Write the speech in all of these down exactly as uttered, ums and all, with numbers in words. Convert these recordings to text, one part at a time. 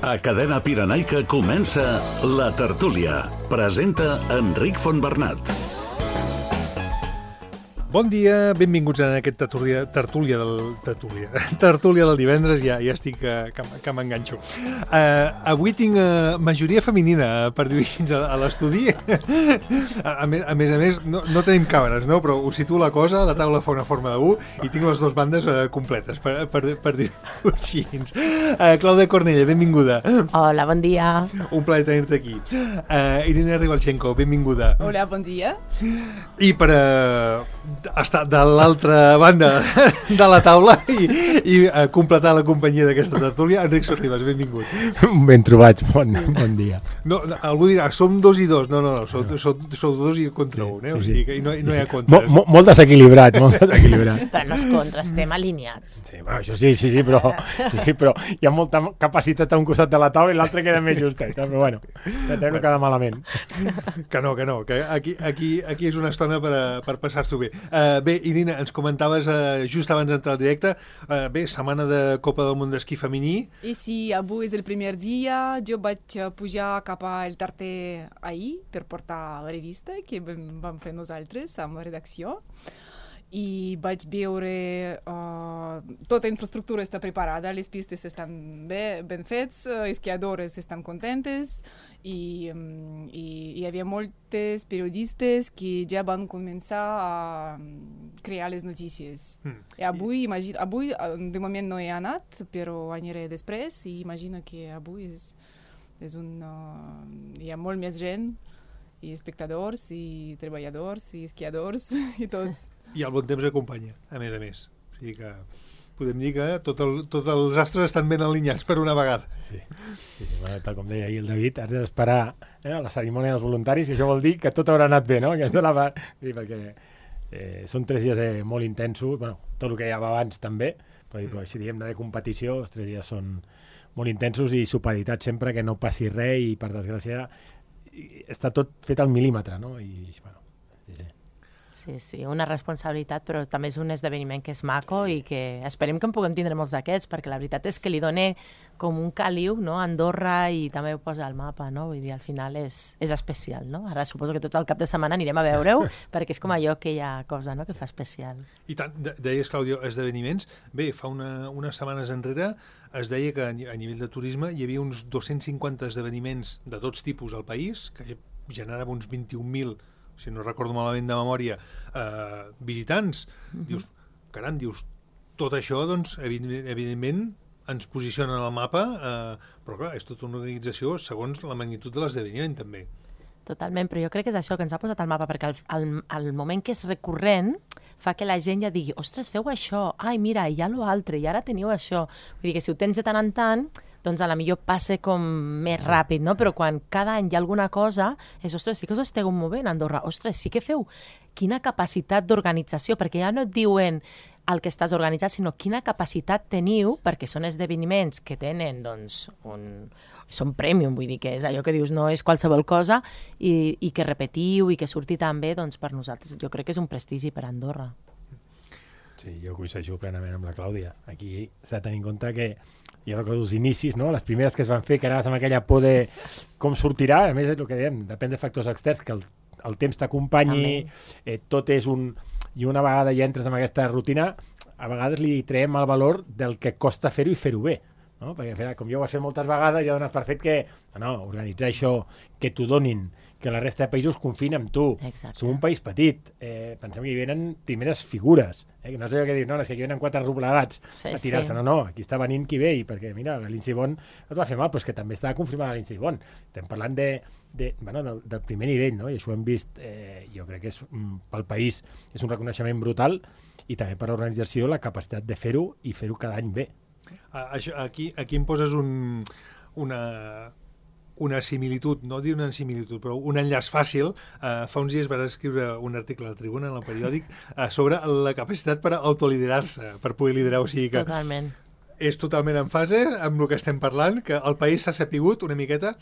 A Cadena Pirenaica comença La Tertúlia. Presenta Enric Fontbernat. Bon dia, benvinguts a aquest tertúlia, tertúlia del tertúlia, tertúlia del divendres, ja, ja estic que, que, que m'enganxo. Uh, avui tinc uh, majoria femenina per dir-ho a, a l'estudi. A, a, més, a més a més, no, no tenim càmeres, no? Però us situo la cosa, la taula fa una forma de U i tinc les dues bandes uh, completes, per, per, per dir-ho així. Uh, Clàudia Cornella, benvinguda. Hola, bon dia. Un plaer tenir-te aquí. Uh, Irina Ribalchenko, benvinguda. Hola, bon dia. I per uh, estar de l'altra banda de la taula i, i uh, completar la companyia d'aquesta tertúlia, Enric Sorribas, benvingut. Ben trobats, bon, bon dia. No, algú dirà, som dos i dos. No, no, no, sou, sou, sou dos i contra un, eh? O sigui que no, no hi ha contra. Mo, mo, molt desequilibrat, molt desequilibrat. Però no és contra, estem alineats. Sí, bueno, això sí, sí, sí, però, sí, però hi ha molta capacitat a un costat de la taula i l'altre queda més justet, però bueno, ja no queda malament. Que no, que no, que aquí, aquí, aquí és una estona per, a, per passar-s'ho bé. Uh, bé, Irina, ens comentaves uh, just abans d'entrar al directe, uh, bé, setmana de Copa del Món d'Esquí femení. I sí, avui és el primer dia, jo vaig pujar cap al Tarter ahir per portar la revista que vam fer nosaltres amb la redacció. I vaig veure uh, tota la infraestructura està preparada, les pistes estan bé, ben fets, uh, esquiadores estan contentes i, um, i hi havia moltes periodistes que ja van començar a crear les notícies. Mm. I avui, imagina, avui de moment no he anat, però aniré després i imagino que avui és, és un, uh, hi ha molt més gent, i espectadors, i treballadors, i esquiadors, i tots. I el bon temps acompanya, a més a més. O sigui que podem dir que tots el, tot els astres estan ben alineats per una vegada. Sí, sí, sí, bueno, tal com deia ahir el David, has d'esperar eh, la cerimònia dels voluntaris, i això vol dir que tot haurà anat bé, no? Aquesta és la part... Sí, perquè eh, són tres dies eh, molt intensos, bueno, tot el que hi havia abans també, però, però si diem de competició, els tres dies són molt intensos i supeditats sempre que no passi res i, per desgràcia, està tot fet al mil·límetre, no? I, bueno, sí, sí. Sí, sí, una responsabilitat, però també és un esdeveniment que és maco i que esperem que en puguem tindre molts d'aquests, perquè la veritat és que li dona com un caliu, no?, a Andorra, i també ho posa al mapa, no? Vull dir, al final és, és especial, no? Ara suposo que tots al cap de setmana anirem a veure-ho, perquè és com allò que hi ha cosa, no?, que fa especial. I tant, deies, Clàudia, esdeveniments. Bé, fa una, unes setmanes enrere es deia que a nivell de turisme hi havia uns dos-cents cinquanta esdeveniments de tots tipus al país, que generava uns vint-i-un mil, si no recordo malament de memòria, eh, visitants. Mm-hmm. Dius, caram, dius, tot això, doncs, evidentment, ens posiciona en el mapa, eh, però clar, és tota una organització segons la magnitud de l'esdeveniment, també. Totalment, però jo crec que és això que ens ha posat al mapa, perquè al, al, al moment que és recurrent fa que la gent ja digui, ostres, feu això, ai, mira, hi ha l'altre, i ara teniu això. Vull dir que si ho tens de tant en tant, doncs a la millor passa com més ràpid, no? Però quan cada any hi ha alguna cosa, és, ostres, sí que us esteu movent a Andorra, ostres, sí que feu quina capacitat d'organització, perquè ja no et diuen el que estàs organitzat, sinó quina capacitat teniu, perquè són esdeveniments que tenen, doncs, un... són premium, vull dir que és allò que dius, no és qualsevol cosa, i, i que repetiu i que surti tan bé, doncs per nosaltres jo crec que és un prestigi per Andorra. Sí, jo coincideixo plenament amb la Clàudia. Aquí s'ha de tenir en compte que jo recordo els inicis, no? Les primeres que es van fer, que anaves amb aquella por de com sortirà, a més és el que dèiem, depèn de factors externs, que el, el temps t'acompanyi, eh, tot és un... I una vegada ja entres en aquesta rutina, a vegades li traiem el valor del que costa fer-ho i fer-ho bé. No? Perquè com jo ho has fet moltes vegades, ja dones per fet que, no, organitzar això, que t'ho donin, que la resta de països confien en tu. Exacte. Som un país petit, eh, pensem que hi venen primeres figures, eh? Que no sé què dir, no, és que hi venen quatre roblegats sí, a tirar-se, sí. no, no, aquí està venint qui ve, i perquè mira, la Lindsey Vonn no et va fer mal, però és que també estava confirmada la Lindsey Vonn. Estem parlant de, de, bueno, del, del primer nivell, no? I això ho hem vist, eh, jo crec que és, pel país és un reconeixement brutal, i també per l'organització la capacitat de fer-ho i fer-ho cada any bé. Aquí, aquí em poses un, una, una similitud, no dir una similitud, però un enllaç fàcil. Uh, fa uns dies vas escriure un article a la Tribuna, en el periòdic, uh, sobre la capacitat per autoliderar-se, per poder liderar. O sigui que totalment. És totalment en fase amb el que estem parlant, que el país s'ha sapigut una miqueta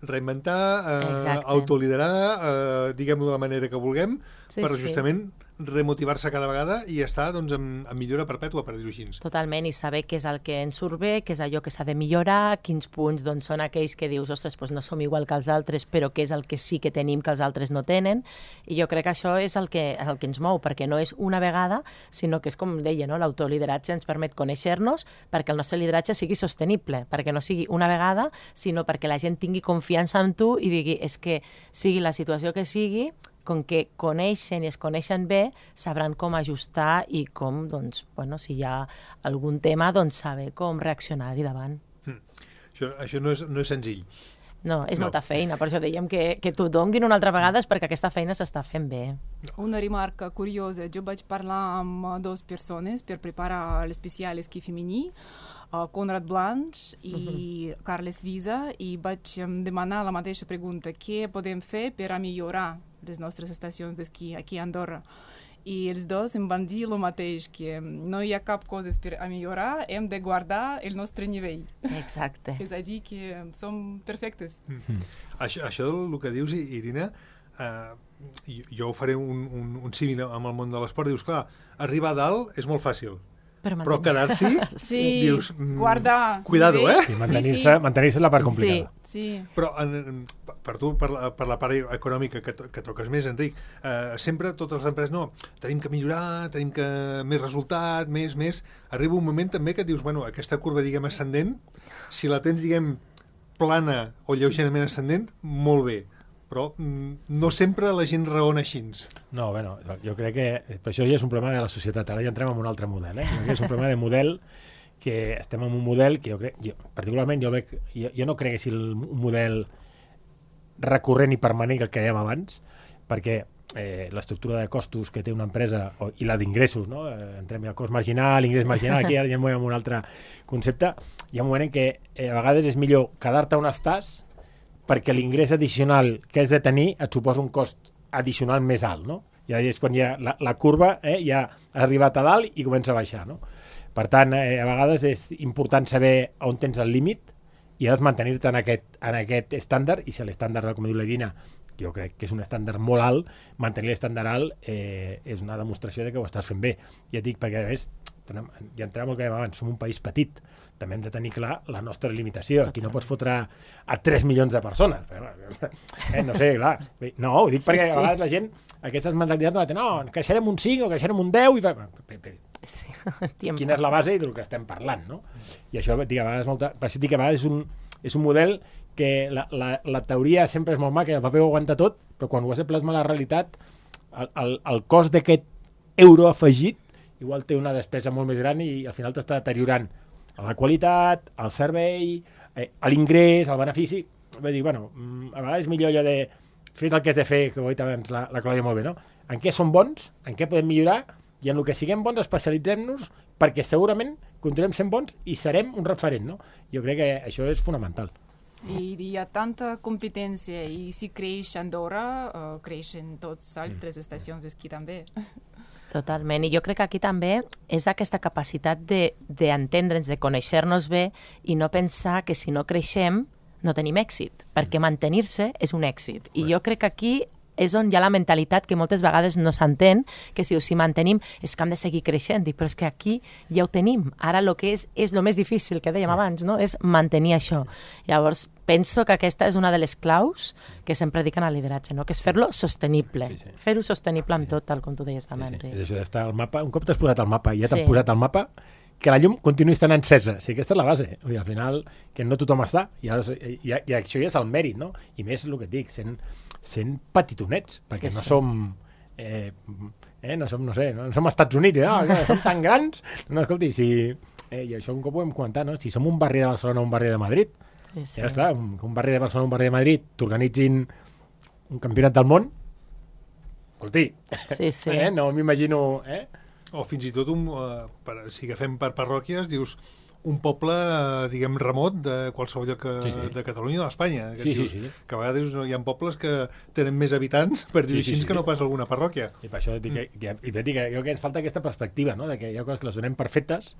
reinventar, eh, autoliderar, eh, diguem-ho de la manera que vulguem, sí, per justament remotivar-se cada vegada i estar doncs, en, en millora perpètua, per dir-ho així. Totalment, i saber què és el que ens surt bé, què és allò que s'ha de millorar, quins punts doncs, són aquells que dius, ostres, doncs no som igual que els altres, però què és el que sí que tenim que els altres no tenen, i jo crec que això és el que, el que ens mou, perquè no és una vegada, sinó que és com deia, no? L'autolideratge ens permet conèixer-nos perquè el nostre lideratge sigui sostenible, perquè no sigui una vegada, sinó perquè la gent tingui confiança en tu i digui, és que sigui la situació que sigui, com que coneixen i es coneixen bé, sabran com ajustar i com, doncs, bueno, si hi ha algun tema, doncs saber com reaccionar-hi davant. Mm. Això, això no, és, no és senzill. No, és No. molta feina, per això dèiem que, que t'ho donguin una altra vegada és perquè aquesta feina s'està fent bé. Una remarca curiosa, jo vaig parlar amb dues persones per preparar l'especial esquí femení, uh, Conrad Blanch i uh-huh. Carles Visa, i vaig um, demanar la mateixa pregunta, què podem fer per a millorar les nostres estacions d'esquí aquí a Andorra. I els dos em van dir el mateix, que no hi ha cap cosa per a millorar, hem de guardar el nostre nivell. Exacte. És a dir, que som perfectes. Mm. Això, això el que dius, Irina, eh, jo, jo faré un, un, un símil amb el món de l'esport. Dius, clar, arribar a dalt és molt fàcil, Però, però quedar-s'hi, Sí, dius, mm, guardar. cuidado, eh? I mantenir-se Sí, sí. mantenir-se és la part complicada. Sí. Però en, en, per tu, per la, per la part econòmica que, to, que toques més, Enric, eh, sempre totes les empreses, no, tenim que millorar, tenim que més resultat, més, més. Arriba un moment també que dius, bueno, aquesta curva, diguem, ascendent, si la tens, diguem, plana o lleugerament ascendent, molt bé. Però mm, no sempre la gent raona així. No, bueno, jo crec que per això ja és un problema de la societat. Ara ja entrem en un altre model, eh? Jo crec que és un problema de model, que estem en un model que jo crec, jo, particularment jo, veig, jo, jo no crec que sigui un model recurrent i permanent que el que dèiem abans, perquè eh, l'estructura de costos que té una empresa o, i la d'ingressos, no? Eh, entrem al cost marginal, ingrés marginal, aquí ara ja em movem un altre concepte, hi ha un moment en què eh, a vegades és millor quedar-te on estàs perquè l'ingrés addicional que has de tenir et suposa un cost addicional més alt, no? Ja és quan ja la, la curva eh, ja ha arribat a dalt i comença a baixar, no? Per tant, eh, a vegades és important saber on tens el límit i has de mantenir-te en aquest, en aquest estàndard, i si l'estàndard, com diu la Irina, jo crec que és un estàndard molt alt, mantenir l'estàndard alt eh, és una demostració de que ho estàs fent bé. Ja et dic, perquè a més, ja entrem al que dèiem abans, som un país petit, també hem de tenir clar la nostra limitació. Aquí no pots fotre a tres milions de persones. Eh, no sé, clar. No, ho dic perquè sí, sí. A vegades la gent, aquestes mentalitats no la té, no, creixerem un cinc o creixerem un deu, i... Sí. Quina és la base del que estem parlant, no? I això, dic, a vegades, molta... per això dic que a vegades és un, és un model que la, la, la teoria sempre és molt maca, el paper ho aguanta tot, però quan ho has de plasmar a la realitat, el, el, el cost d'aquest euro afegit igual té una despesa molt més gran i al final t'està deteriorant la qualitat, el servei, eh, l'ingrés, el benefici. Vull dir, bueno, a vegades és millor allò de fer el que has de fer, que ho ha dit abans la, la Clàudia molt bé, no? En què som bons, en què podem millorar, i en el que siguem bons especialitzem-nos perquè segurament continuem sent bons i serem un referent, no? Jo crec que això és fonamental. I hi ha tanta competència i si creix Andorra, uh, creixen tots altres mm. estacions d'esquí també. Totalment, i jo crec que aquí també és aquesta capacitat d'entendre'ns, de, de conèixer-nos bé i no pensar que si no creixem no tenim èxit, perquè mantenir-se és un èxit. I jo crec que aquí és on hi ha la mentalitat que moltes vegades no s'entén, que si ho si mantenim és que hem de seguir creixent, però és que aquí ja ho tenim. Ara el que és és el més difícil, que dèiem abans, no? És mantenir això. Llavors, penso que aquesta és una de les claus que sempre dic en el lideratge, no? Que és fer-lo sostenible. Sí, sí. Fer-ho sostenible amb tot, tal com tu deies també, sí, sí. Enric. És això d'estar al mapa, un cop t'has posat al mapa i ja t'han sí. posat al mapa, que la llum continuï estant encesa. O sigui, aquesta és la base. Vull dir, al final, que no tothom està, i, i, i, i això ja és el mèrit, no? I més el que et dic, sent, sent petitonets, perquè sí, no sí. som... Eh, eh, no som, no sé, no, no som Estats Units, no? No som tan grans. No, escolti, si... Eh, i això un cop ho hem comentat, no? Si som un barri de Barcelona o un barri de Madrid, sí, sí. Ja, esclar, un, un barri de Barcelona o un barri de Madrid t'organitzin un campionat del món, escolti, sí, sí. Eh, no m'imagino... Eh? O fins i tot, un, uh, per, si agafem per parròquies, dius un poble, uh, diguem, remot de qualsevol lloc que, sí, sí. de Catalunya o d'Espanya. Que, sí, dius, sí, sí. que a vegades hi ha pobles que tenen més habitants, per dir-ho sí, així, sí, sí. que no pas alguna parròquia. I per això dic que, que, i dic que, que ens falta aquesta perspectiva, no? De que hi ha coses que les donem perfectes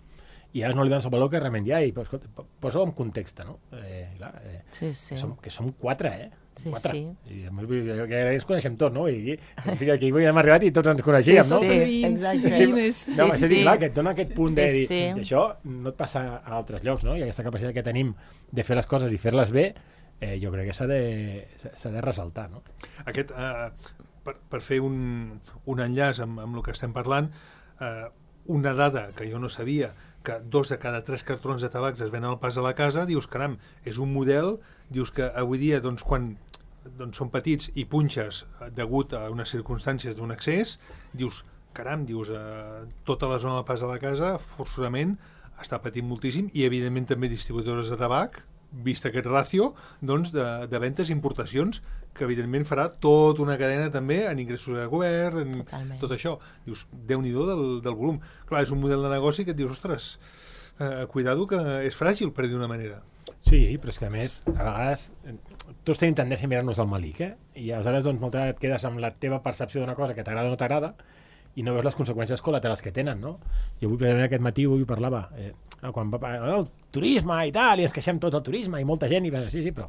i ara no li dones el valor que realment hi ha, i posa-ho en context, no? Eh, clar, eh, sí, sí. Que, som, que som quatre, eh? Sí, quatre. sí. I a més, que ens coneixem tots, no? I, en fi, aquí avui hem arribat i tots ens coneixíem, Sí, no? sí. Vins, exacte. vines. No, Sí, sí, sí, sí. clar, que et dona aquest punt de dir, sí. i això no et passa a altres llocs, no? I aquesta capacitat que tenim de fer les coses i fer-les bé, eh, jo crec que s'ha de, s'ha de ressaltar, no? Aquest, eh, per, per fer un, un enllaç amb, amb el que estem parlant, eh, una dada que jo no sabia, que dos de cada tres cartrons de tabacs es venen al pas a la casa, dius, caram, és un model, dius que avui dia, doncs, quan doncs, són petits i punxes degut a unes circumstàncies d'un excés, dius, caram, dius, eh, tota la zona del pas a la casa, forçosament, està patint moltíssim, i evidentment també distribuïdores de tabac, vist aquest ràcio, doncs, de, de ventes i importacions, que evidentment farà tota una cadena també en ingressos de govern, en Totalment. tot això. Dius, Déu-n'hi-do del, del volum. Clar, és un model de negoci que et dius, ostres, eh, cuidado que és fràgil, per dir d'una manera. Sí, però és que a més, a vegades, tots tenim tendència a mirar-nos el malic, eh? I aleshores, doncs, moltes vegades et quedes amb la teva percepció d'una cosa que t'agrada o no t'agrada, i no veus les conseqüències col·laterals que tenen, no? Jo avui, precisament aquest matí, avui parlava, eh, quan va, el turisme i tal, i ens queixem tot el turisme, i molta gent, i va, sí, sí, però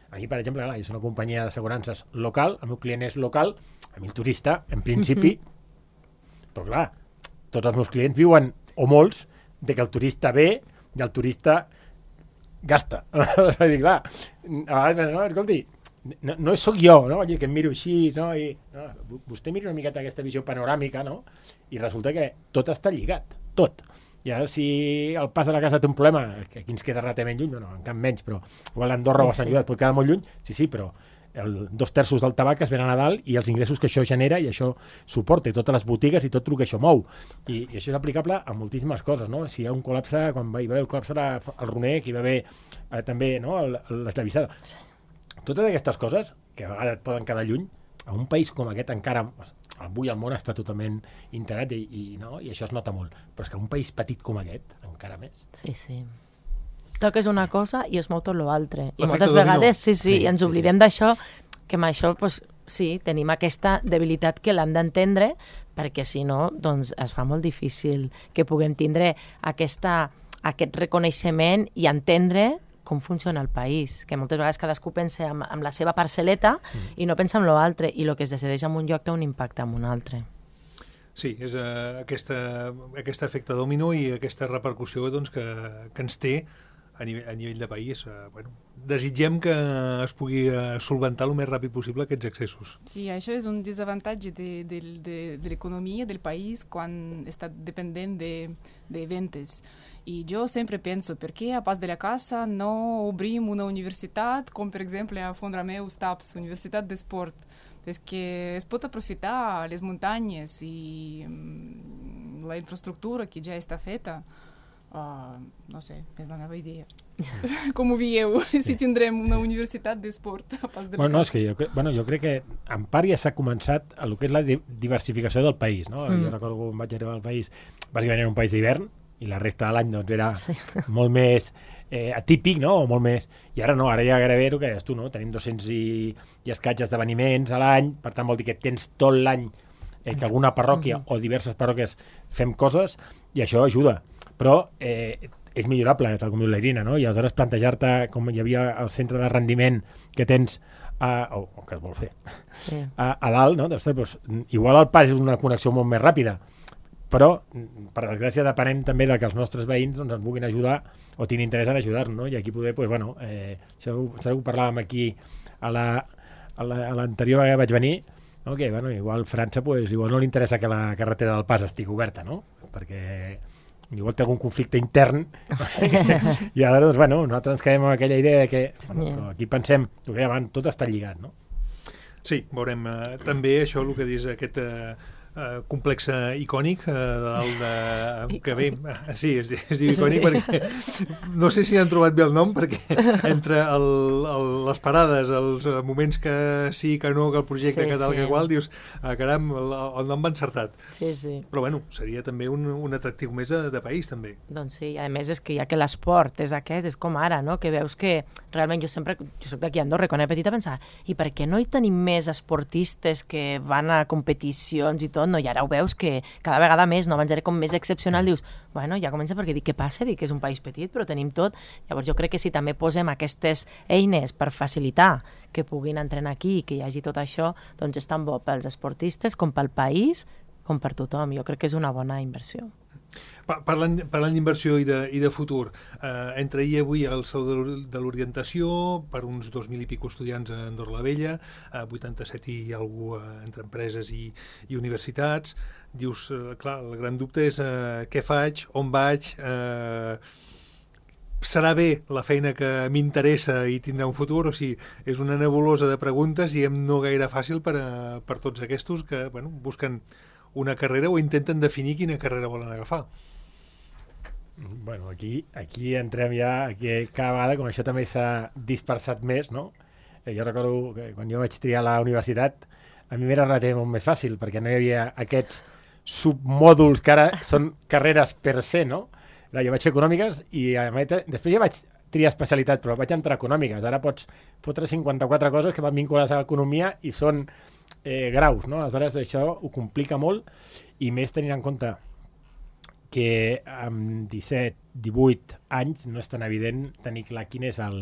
a mi, per exemple, clar, jo soc una companyia d'assegurances local, el meu client és local, a mi el turista, en principi, mm-hmm. però clar, tots els meus clients viuen, o molts, de que el turista ve i el turista gasta. És a dir, clar, a vegades, no, escolti, no, no sóc jo, no? Allí que em miro així, no? I, no? Vostè mira una miqueta aquesta visió panoràmica, no? I resulta que tot està lligat, tot. I ara, si el pas de la casa té un problema, que aquí ens queda relativament lluny, no, en cap menys, però igual Andorra sí, o Sant Llorenç pot quedar molt lluny, sí, sí, però el, dos terços del tabac es venen a dalt i els ingressos que això genera i això suporta, i totes les botigues i tot el que això mou. I, i això és aplicable a moltíssimes coses, no? Si hi ha un col·lapse, quan va, hi va haver el col·lapse al Roner, que hi va haver eh, també, no?, l'esllavissada. Totes aquestes coses, que a vegades et poden quedar lluny, a un país com aquest encara, avui el món està totalment integrat i, i, no? I això es nota molt, però és que un país petit com aquest, encara més. Sí, sí. Toques una cosa i es mou tot l'altre. I L'efecte moltes dominó. vegades, sí, sí, Sí, i ens sí, oblidem d'això, que amb això, doncs, sí, tenim aquesta debilitat que l'hem d'entendre, perquè si no, doncs es fa molt difícil que puguem tindre aquesta, aquest reconeixement i entendre com funciona el país, que moltes vegades cadascú pensa amb, amb la seva parcel·leta mm. i no pensa en l'altre, i el que es decideix en un lloc té un impacte en un altre. Sí, és uh, aquesta, aquest efecte domino i aquesta repercussió doncs, que, que ens té a nivell, a nivell de país. Uh, bueno, desitgem que es pugui uh, solventar el més ràpid possible aquests excessos. Sí, això és un desavantatge de, de, de, de l'economia del país quan està dependent de, de ventes. I jo sempre penso, per què a pas de la casa no obrim una universitat, com per exemple a Font-Romeu Staps, Universitat d'Esport? És que es pot aprofitar les muntanyes i um, la infraestructura que ja està feta. Uh, no sé, és la meva idea. Com ho veieu, si tindrem una universitat d'esport a pas de la bueno, no, casa? és que jo, bueno, jo crec que en part ja s'ha començat a el que és la di diversificació del país, no? Mm. Jo recordo quan vaig arribar al país, bàsicament era un país d'hivern, i la resta de l'any doncs, era sí. molt més eh, atípic, no? O molt més... I ara no, ara ja gairebé el que deies tu, no? Tenim dos-cents i, i escaig esdeveniments a l'any, per tant vol dir que tens tot l'any eh, que alguna parròquia mm-hmm. o diverses parròquies fem coses, i això ajuda. Però eh, és millorable, tal com diu la Irina, no? I aleshores plantejar-te, com hi havia el centre de rendiment que tens, a, o, o que es vol fer, sí. a, a dalt, no? Ostres, doncs, igual el pas és una connexió molt més ràpida, però, per desgràcia, depenem també de que els nostres veïns doncs, ens vulguin ajudar o tinguin interès en ajudar-nos, no? I aquí poder, doncs, bueno, eh, això, això ho parlàvem aquí a l'anterior vegada que vaig venir, no? Que, bueno, igual França, pues, igual no li interessa que la carretera del pas estigui oberta, no? Perquè igual té algun conflicte intern i ara, doncs, bueno, nosaltres ens quedem amb aquella idea de que, bueno, yeah. però aquí pensem, el que abans, tot està lligat, no? Sí, veurem eh, també això, el que dius, aquest eh, Uh, complex icònic uh, de dalt de... que bé, uh, sí, es, es diu icònic perquè no sé si han trobat bé el nom, perquè entre el, el, les parades, els moments que sí, que no, que el projecte, sí, que tal, sí. que qual, dius, ah, caram, el, el nom va encertat. Sí, sí. Però bueno, seria també un, un atractiu més de, de país, també. Doncs sí, a més és que ja que l'esport és aquest, és com ara, no? Que veus que realment jo sempre, jo soc d'aquí a Andorra, quan era petita pensava, i per què no hi tenim més esportistes que van a competicions i tot? tot, no? I ara ho veus que cada vegada més, no? Abans era com més excepcional, dius, bueno, ja comença perquè dic, què passa? Dic que és un país petit, però tenim tot. Llavors jo crec que si també posem aquestes eines per facilitar que puguin entrenar aquí i que hi hagi tot això, doncs és tan bo pels esportistes com pel país, com per tothom. Jo crec que és una bona inversió. Parlant, parlant d'inversió i, de, i de futur, eh, entre ahir i avui al Saló de l'Orientació per uns dos mil i pico estudiants a Andorra la Vella, eh, vuitanta-set i algú eh, entre empreses i, i universitats. Dius, eh, clar, el gran dubte és eh, què faig, on vaig, eh, serà bé la feina que m'interessa i tindrà un futur, o sigui, és una nebulosa de preguntes i no gaire fàcil per, a, per tots aquests que bueno, busquen una carrera o intenten definir quina carrera volen agafar. Bueno, aquí, aquí entrem ja, aquí cada vegada, com això també s'ha dispersat més, no? Eh, jo recordo que quan jo vaig triar la universitat, a mi m'era relativament molt més fàcil, perquè no hi havia aquests submòduls que ara són carreres per se, no? Jo vaig fer econòmiques i a meta, després ja vaig triar especialitat, però vaig entrar a econòmiques. Ara pots fotre cinquanta-quatre coses que van vinculades a l'economia i són eh, graus, no? Aleshores això ho complica molt i més tenint en compte que amb disset, divuit anys no és tan evident tenir clar quin és el,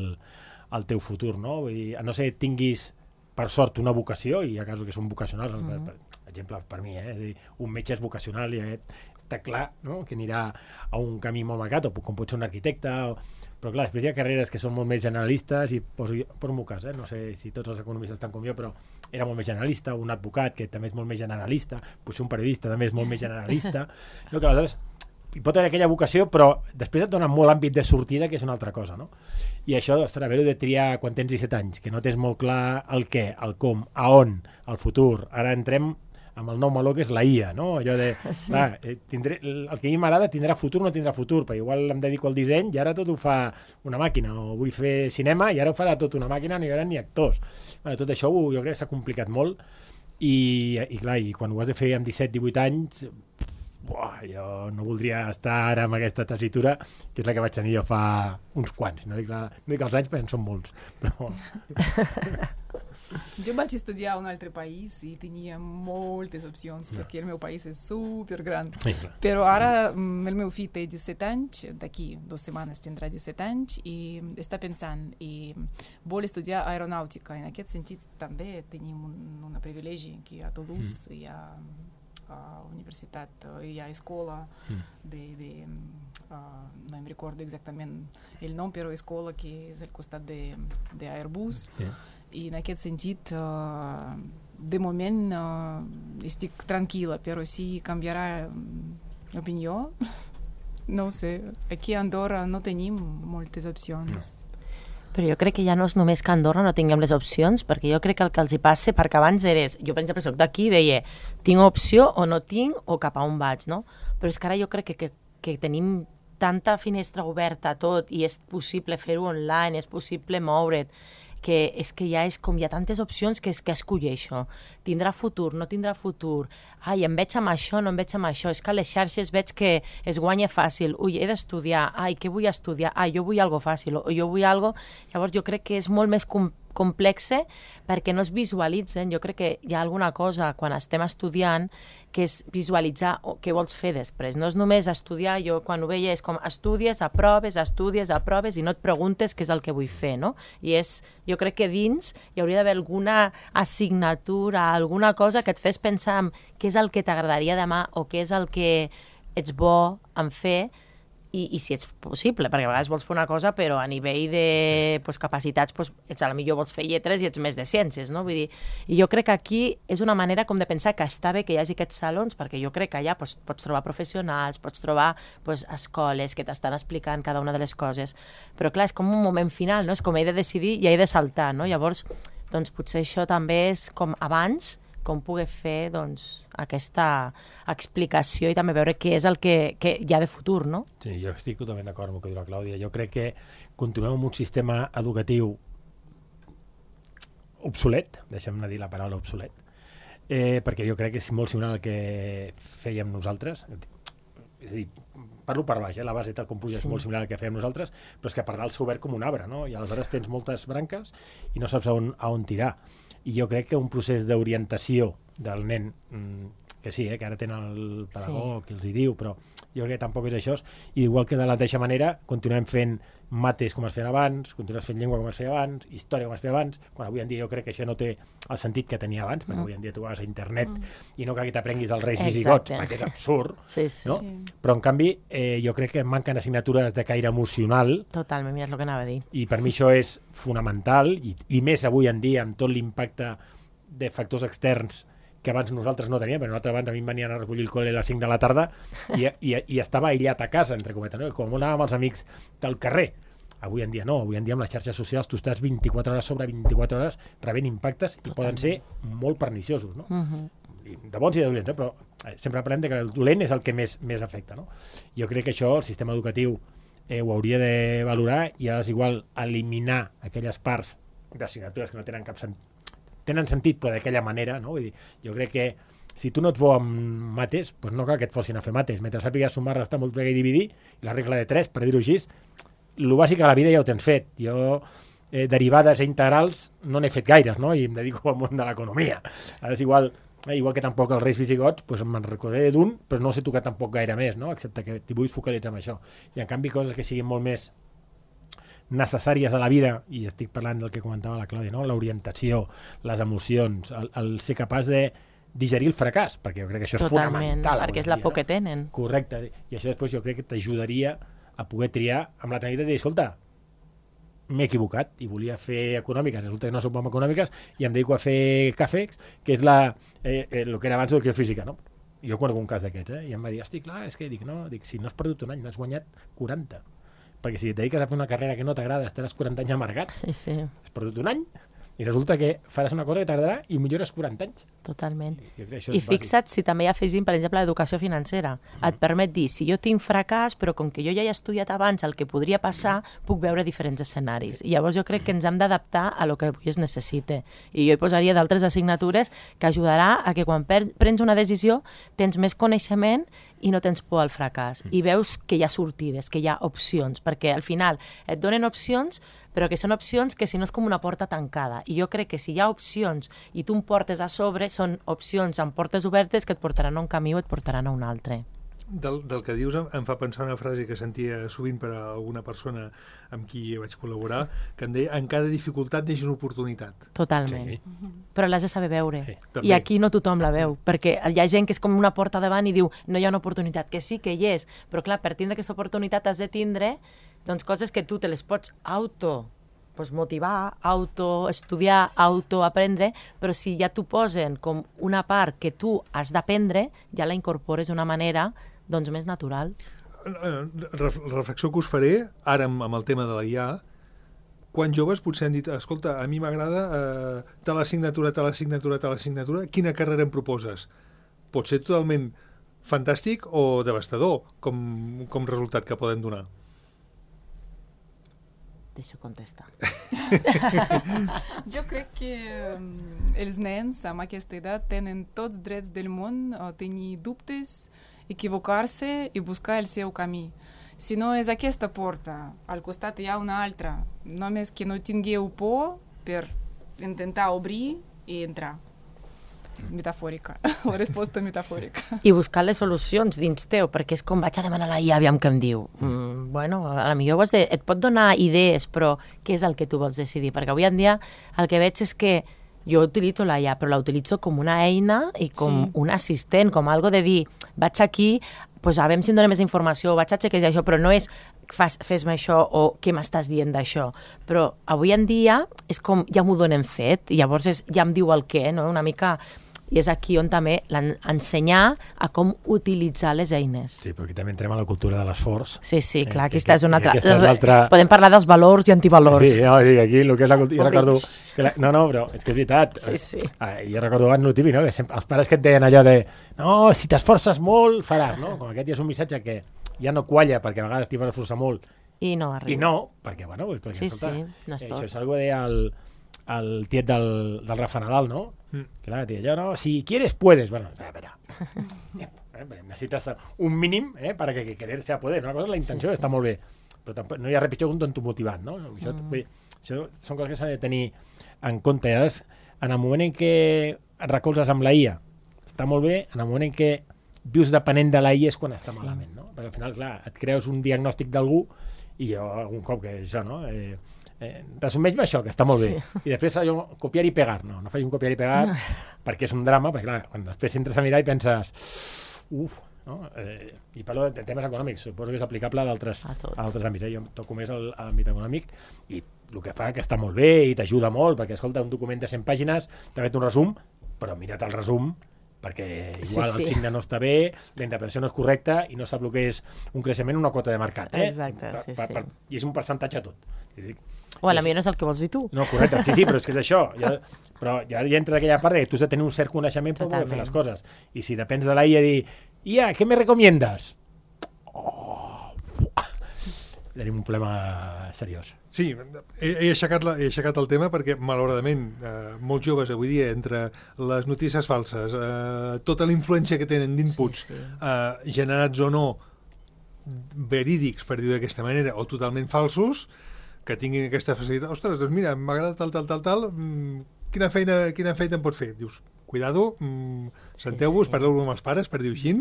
el teu futur, no? Vull dir, a no ser que tinguis, per sort, una vocació, i hi ha casos que són vocacionals, mm. per, per exemple, per mi, eh? És a dir, un metge és vocacional i aquest està clar, no? Que anirà a un camí molt marcat, o com pot ser un arquitecte, o... però clar, després hi ha carreres que són molt més generalistes, i poso, poso el meu cas, eh? No sé si tots els economistes estan com jo, però era molt més generalista, un advocat que també és molt més generalista, potser un periodista també és molt més generalista, no? Que aleshores hi pot haver aquella vocació, però després et dona molt àmbit de sortida, que és una altra cosa, no? I això, ostres, haver-ho de triar quan tens disset anys, que no tens molt clar el què, el com, a on, el futur. Ara entrem amb el nou meló que és la I A, no? Allò de, sí. clar, tindré, el que a mi m'agrada tindrà futur o no tindrà futur, perquè igual em dedico al disseny i ara tot ho fa una màquina, o vull fer cinema i ara ho farà tot una màquina, no hi haurà ni actors. Bueno, tot això jo crec que s'ha complicat molt i, i clar, i quan ho has de fer amb disset divuit anys, buah, jo no voldria estar ara amb aquesta tessitura, que és la que vaig tenir jo fa uns quants, no dic, la, no dic els anys perquè en són molts, però... Jo vaig estudiar a un altre país i tenia moltes opcions, no. Perquè el meu país és supergran. Sí, però ara el meu fill té disset anys, d'aquí dues setmanes tindrà disset anys, i està pensant i vol estudiar aeronàutica. En aquest sentit també tenim un, un privilegi que a Toulouse mm. hi ha a universitat, hi ha escola mm. de, de uh, no em recordo exactament el nom, però escola que és al costat de, de Airbus. Yeah. I en aquest sentit, uh, de moment uh, estic tranquil·la, però si canviarà opinió, no ho sé. Aquí a Andorra no tenim moltes opcions. No. Però jo crec que ja no és només que a Andorra no tinguem les opcions, perquè jo crec que el que els hi passa, perquè abans eres, jo per exemple soc d'aquí i deia, tinc opció o no tinc o cap a on vaig, no? Però és que ara jo crec que, que, que tenim tanta finestra oberta a tot i és possible fer-ho online, és possible moure't, que és que ja és com hi ha tantes opcions que és que escolleixo. Tindrà futur, no tindrà futur. Ai, em veig amb això, no em veig amb això. És que a les xarxes veig que es guanya fàcil. Ui, he d'estudiar. Ai, què vull estudiar? Ai, jo vull algo fàcil. O jo vull algo... Llavors jo crec que és molt més com complexe perquè no es visualitzen. Jo crec que hi ha alguna cosa quan estem estudiant que és visualitzar què vols fer després. No és només estudiar, jo quan ho veia és com estudies, aproves, estudies, aproves i no et preguntes què és el que vull fer, no? I és, jo crec que dins hi hauria d'haver alguna assignatura, alguna cosa que et fes pensar en què és el que t'agradaria demà o què és el que ets bo en fer i, i si és possible, perquè a vegades vols fer una cosa però a nivell de pues, capacitats pues, ets, a la millor vols fer lletres i ets més de ciències, no? Vull dir, i jo crec que aquí és una manera com de pensar que està bé que hi hagi aquests salons, perquè jo crec que allà pues, pots trobar professionals, pots trobar pues, escoles que t'estan explicant cada una de les coses, però clar, és com un moment final, no? És com he de decidir i he de saltar, no? Llavors, doncs potser això també és com abans, com poder fer doncs, aquesta explicació i també veure què és el que, que hi ha de futur, no? Sí, jo estic totalment d'acord amb el que diu la Clàudia. Jo crec que continuem amb un sistema educatiu obsolet, deixem-ne dir la paraula obsolet, eh, perquè jo crec que és molt similar al que fèiem nosaltres. És a dir, parlo per baix, eh? La base tal com puja és sí. molt similar al que fèiem nosaltres, però és que per dalt s'ha obert com un arbre, no? I aleshores tens moltes branques i no saps a on, a on tirar. I jo crec que un procés d'orientació del nen mm, que sí, eh, que ara tenen el pedagog sí. i els hi diu, però jo crec que tampoc és això, i igual que de la mateixa manera continuem fent mates com es feien abans, continuem fent llengua com es feia abans, història com es feia abans, quan avui en dia jo crec que això no té el sentit que tenia abans, perquè mm. avui en dia tu vas a internet mm. i no cal que t'aprenguis els reis visigots, perquè és absurd, sí, sí. no? Sí. Però en canvi eh, jo crec que manquen assignatures de caire emocional. Totalment, mira, és el que anava a dir. I per mi això és fonamental, i, i més avui en dia amb tot l'impacte de factors externs que abans nosaltres no teníem, perquè nosaltres abans a mi em venien a recollir el col·le a les cinc de la tarda i, i, i estava aïllat a casa, entre cometes, no? Com anàvem els amics del carrer. Avui en dia no, avui en dia amb les xarxes socials tu estàs vint-i-quatre hores sobre vint-i-quatre hores rebent impactes i poden ser molt perniciosos, no? Uh-huh. De bons i de dolents, eh? Però sempre parlem de que el dolent és el que més, més afecta, no? Jo crec que això el sistema educatiu eh, ho hauria de valorar i és igual eliminar aquelles parts d'assignatures que no tenen cap sentit, tenen sentit però d'aquella manera, no? Vull dir, jo crec que si tu no ets bo amb mates, doncs no cal que et forcin a fer mates. Mentre sàpigues sumar, restar, multiplicar i dividir, i la regla de tres, per dir-ho així, el bàsic a la vida ja ho tens fet. Jo, eh, derivades i integrals, no n'he fet gaires, no? I em dedico al món de l'economia. És igual, eh, igual que tampoc els reis visigots, doncs me'n recordaré d'un, però no sé tocar tampoc gaire més, no? Excepte que t'hi vull focalitzar en això. I en canvi coses que siguin molt més necessàries de la vida, i estic parlant del que comentava la Clàudia, no? L'orientació, les emocions, el, el ser capaç de digerir el fracàs, perquè jo crec que això és Totalment, fonamental. perquè és la por que tenen. Correcte, i això després jo crec que t'ajudaria a poder triar amb la tranquil·litat i dir, escolta, m'he equivocat i volia fer econòmiques, resulta que no som econòmiques i em dedico a fer càfex, que és la, eh, eh, el que era abans d'educació física, no? Jo conec un cas d'aquests, eh? I em va dir, hosti, clar, és que dic, no, dic, si no has perdut un any, n'has guanyat quaranta. Perquè si et dediques a fer una carrera que no t'agrada, estaràs quaranta anys amargat, sí, sí. has perdut un any, i resulta que faràs una cosa que t'agradarà i millores quaranta anys. Totalment. I, I fixa't si també hi afegim, per exemple, l'educació financera. Mm. Et permet dir, si jo tinc fracàs, però com que jo ja he estudiat abans el que podria passar, puc veure diferents escenaris. I llavors jo crec que ens hem d'adaptar a lo que avui es necessite. I jo hi posaria d'altres assignatures que ajudarà a que quan prens una decisió tens més coneixement i no tens por al fracàs. Mm. I veus que hi ha sortides, que hi ha opcions, perquè al final et donen opcions, però que són opcions que si no és com una porta tancada. I jo crec que si hi ha opcions i tu em portes a sobre, són opcions amb portes obertes que et portaran a un camí o et portaran a un altre. Del, del que dius em fa pensar una frase que sentia sovint per a alguna persona amb qui vaig col·laborar, que em deia, en cada dificultat neix una oportunitat. Totalment. Sí. Però l'has de saber veure. Sí. I aquí no tothom la veu, perquè hi ha gent que és com una porta davant i diu, no hi ha una oportunitat, que sí que hi és, però clar, per tindre aquesta oportunitat has de tindre doncs, coses que tu te les pots auto pues, motivar, autoestudiar, autoaprendre, però si ja t'ho posen com una part que tu has d'aprendre, ja la incorpores d'una manera doncs, més natural. La reflexió que us faré, ara amb, amb el tema de la I A, quan joves potser han dit, escolta, a mi m'agrada eh, tal assignatura, tal assignatura, tal assignatura, quina carrera em proposes? Pot ser totalment fantàstic o devastador com, com resultat que poden donar. Deixo contestar. Jo crec que um, els nens amb aquesta edat tenen tots drets del món a tenir dubtes, equivocar-se i buscar el seu camí. Si no és aquesta porta, al costat hi ha una altra, només que no tingueu por per intentar obrir i entrar. Metafòrica, la resposta metafòrica. I buscar les solucions dins teu, perquè és com vaig a demanar a la I A, aviam què em diu. Mm, bueno, a la millor de, et pot donar idees, però què és el que tu vols decidir? Perquè avui en dia el que veig és que jo utilitzo la I A, però la utilitzo com una eina i com sí. un assistent, com algo de dir, vaig aquí, pues, a veure si em dona més informació, vaig a xequejar això, però no és fas, fes-me això o què m'estàs dient d'això. Però avui en dia és com ja m'ho donen fet, i llavors és, ja em diu el què, no? Una mica... I és aquí on també ensenyar a com utilitzar les eines. Sí, però aquí també entrem a la cultura de l'esforç. Sí, sí, clar, eh, aquesta és una altra... És altra... Podem parlar dels valors i antivalors. Sí, no, sí, aquí el que és la cultura... Jo recordo... Que la... No, no, però és que és veritat. Sí, sí. Ah, jo recordo abans el típic, no? Que sempre, els pares que et deien allò de no, si t'esforces molt, faràs, no? Com aquest ja és un missatge que ja no qualla, perquè a vegades t'hi vas esforçar molt. I no arriba. I no, perquè, bueno, perquè, sí, escolta, sí, no és eh, tot. això és algo de el, el tiet del, del Rafa Nadal, no? Mm. Que la tía, yo no, si quieres puedes. Bueno, a ver, eh, necesitas un mínim eh, para que, que querer sea poder. Una cosa és la intenció, sí, sí. Està molt bé, però tampoc, no hi ha res pitjor que un tonto motivant, no? Això, mm. vull, això són coses que s'ha de tenir en compte. I ara, en el moment en què et recolzes amb la I A, està molt bé en el moment en què vius depenent de la I A és quan està Sí. malament, no? Perquè al final, clar, et creus un diagnòstic d'algú i jo algun cop que això, no? Eh, eh, resumeix-me això, que està molt Sí. bé. I després jo, copiar i pegar. No, no faig un copiar i pegar no. perquè és un drama, perquè clar, quan després entres a mirar i penses uf, no? Eh, i parlo de temes econòmics, suposo que és aplicable a d'altres àmbits. Eh? Jo toco més a l'àmbit econòmic i el que fa que està molt bé i t'ajuda molt, perquè escolta, un document de cent pàgines, t'ha fet un resum, però mira't el resum, perquè igual sí, sí. el signe no està bé, la interpretació no és correcta i no sap el que és un creixement, una quota de mercat. Eh? Exacte, sí, per, per, sí. I és un percentatge tot. Dic, o a la millor no és el que vols dir tu. No, correcte, sí, sí, però és que és això. Ja, però ja, ja entra aquella part que tu has de tenir un cert coneixement per poder fer les coses. I si depens de la I A dir, I A, què me recomiendes? Oh, tenim un problema seriós. Sí, he, he, aixecat la, he aixecat el tema perquè, malauradament, eh, molts joves avui dia, entre les notícies falses, eh, tota la influència que tenen d'inputs, sí, sí. eh, generats o no, verídics, per dir-ho d'aquesta manera, o totalment falsos, que tinguin aquesta facilitat. Ostres, doncs mira, m'agrada tal, tal, tal, tal, quina feina, quina feina em pot fer? Dius, cuidado, mmm, senteu-vos, sí, sí. parleu amb els pares, per dir-ho així,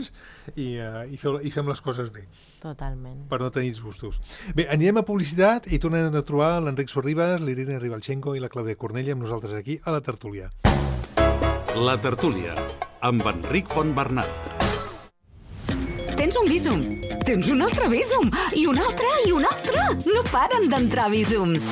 i, uh, i, feu, i fem les coses bé. Totalment. Per no tenir disgustos. Bé, anirem a publicitat i tornem a trobar l'Enric Sorribas, l'Irene Ribalchenko i la Clàudia Cornella amb nosaltres aquí a la tertúlia. La tertúlia, amb Enric Fontbernat. Tens un Bizum, tens un altre Bizum, i un altre, i un altre. No paren d'entrar Bizums.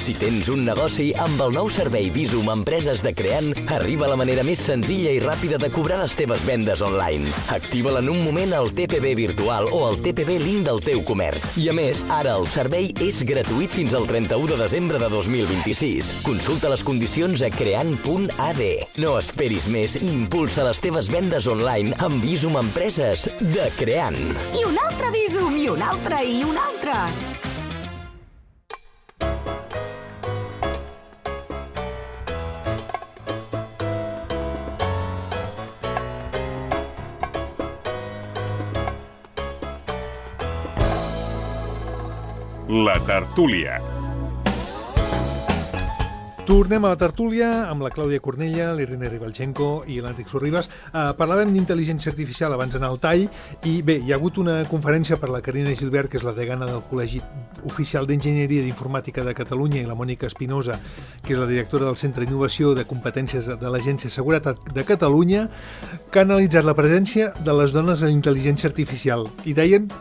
Si tens un negoci, amb el nou servei Bizum Empreses de Creant, arriba la manera més senzilla i ràpida de cobrar les teves vendes online. Activa-la en un moment al T P B virtual o al T P B link del teu comerç. I a més, ara el servei és gratuït fins al trenta-u de desembre de dos mil vint-i-sis. Consulta les condicions a creant punt a d. No esperis més i impulsa les teves vendes online amb Bizum Empreses de Creant. I un altre Bizum, i un altre, i un altre. La tertúlia. Tornem a la tertúlia amb la Clàudia Cornella, l'Irene Ribalchenko i l'Enric Sorribas. Uh, parlàvem d'intel·ligència artificial abans d'anar al tall i bé, hi ha hagut una conferència per la Carina Gilbert, que és la degana del Col·legi Oficial d'Enginyeria d'Informàtica de Catalunya, i la Mònica Espinosa, que és la directora del Centre d'Innovació de Competències de l'Agència de Seguretat de Catalunya, que ha analitzat la presència de les dones en intel·ligència artificial. I deien,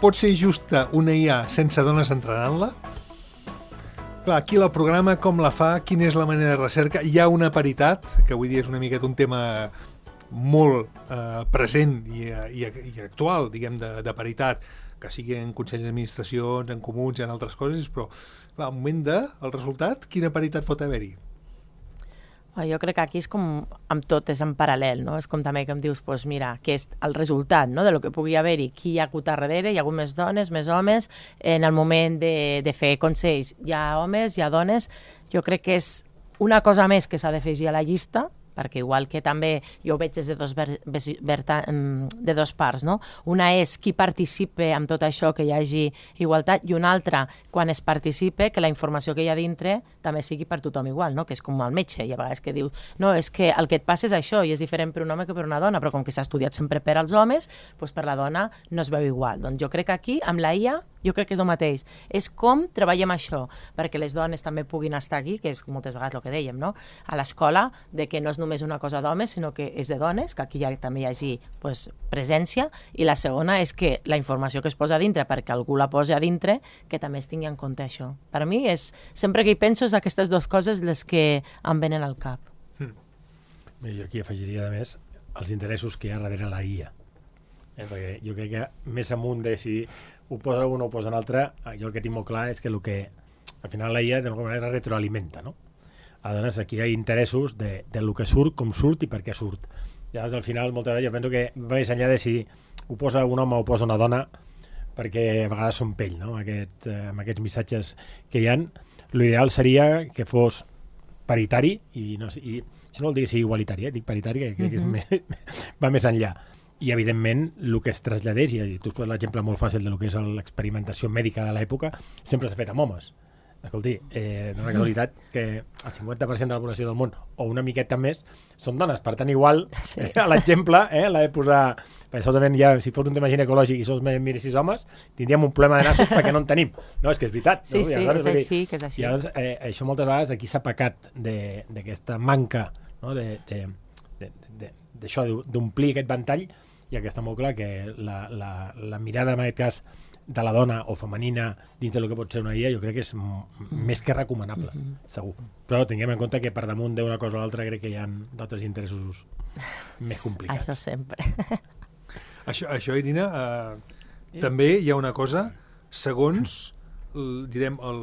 pot ser justa una I A sense dones entrenant-la? Clar, qui la programa, com la fa, quina és la manera de recerca? Hi ha una paritat, que avui dia és una miqueta un tema molt eh, present i, i, i actual, diguem, de, de paritat, que sigui en consells d'administracions, en comuns i en altres coses, però clar, al moment de, el resultat, quina paritat pot haver-hi? Jo crec que aquí és com amb tot, és en paral·lel, no? És com també que em dius, doncs mira, que és el resultat, no?, de lo que pugui haver-hi, qui hi ha hagut darrere, hi ha hagut més dones, més homes, en el moment de, de fer consells hi ha homes, hi ha dones, jo crec que és una cosa més que s'ha d'afegir a la llista, perquè igual que també jo ho veig des de dos, ver, ver, de dos parts, no? Una és qui participe amb tot això, que hi hagi igualtat, i una altra, quan es participe, que la informació que hi ha dintre també sigui per tothom igual, no? Que és com el metge, i a vegades que diu, no, és que el que et passa és això, i és diferent per un home que per una dona, però com que s'ha estudiat sempre per als homes, doncs per la dona no es veu igual. Doncs jo crec que aquí, amb la I A, jo crec que és el mateix. És com treballem això, perquè les dones també puguin estar aquí, que és moltes vegades el que dèiem, no? A l'escola, de que no és només una cosa d'homes, sinó que és de dones, que aquí ja, també hi hagi pues, presència, i la segona és que la informació que es posa a dintre, perquè algú la posa a dintre, que també es tingui en compte això. Per mi, és, sempre que hi penso, és aquestes dues coses les que em venen al cap. Hmm. Bé, jo aquí afegiria, a més, els interessos que hi ha darrere la I A. Eh, perquè jo crec que més amunt de si ho posa un o ho posa un altre, jo el que tinc molt clar és que el que al final la I A d'alguna manera retroalimenta, no? Aleshores, aquí hi ha interessos de, de lo que surt, com surt i per què surt. Llavors, al final, moltes vegades jo penso que va més enllà de si ho posa un home o ho posa una dona, perquè a vegades són pell, no? Aquest, eh, amb aquests missatges que hi ha, l'ideal seria que fos paritari, i, no, i si no vol dir que sigui igualitari, eh? Dic paritari, que crec que és més, va més enllà. I, evidentment, el que es traslladés, i tu has posat l'exemple molt fàcil del que és l'experimentació mèdica de l'època, sempre s'ha fet amb homes. escolti, eh, no és una casualitat que el cinquanta per cent de la població del món, o una miqueta més, són dones. Per tant, igual, sí. eh, a l'exemple, eh, l'ha de posar... Perquè solament ja, si fos un tema ginecològic i sols miressis homes, tindríem un problema de nassos perquè no en tenim. No, és que és veritat. Sí, no? sí, aleshores, és així, que és així. I llavors, eh, això moltes vegades aquí s'ha pecat d'aquesta manca, no? de, de, de, de, d'això, d'omplir aquest ventall, i que està molt clar que la, la, la mirada, en aquest cas, de la dona o femenina dins del que pot ser una I A, jo crec que és més que recomanable, mm-hmm. segur. Però tinguem en compte que per damunt d'una cosa o l'altra crec que hi ha d'altres interessos més complicats. Això sempre. Això, això Irina, eh, yes. també hi ha una cosa, segons el, direm, el,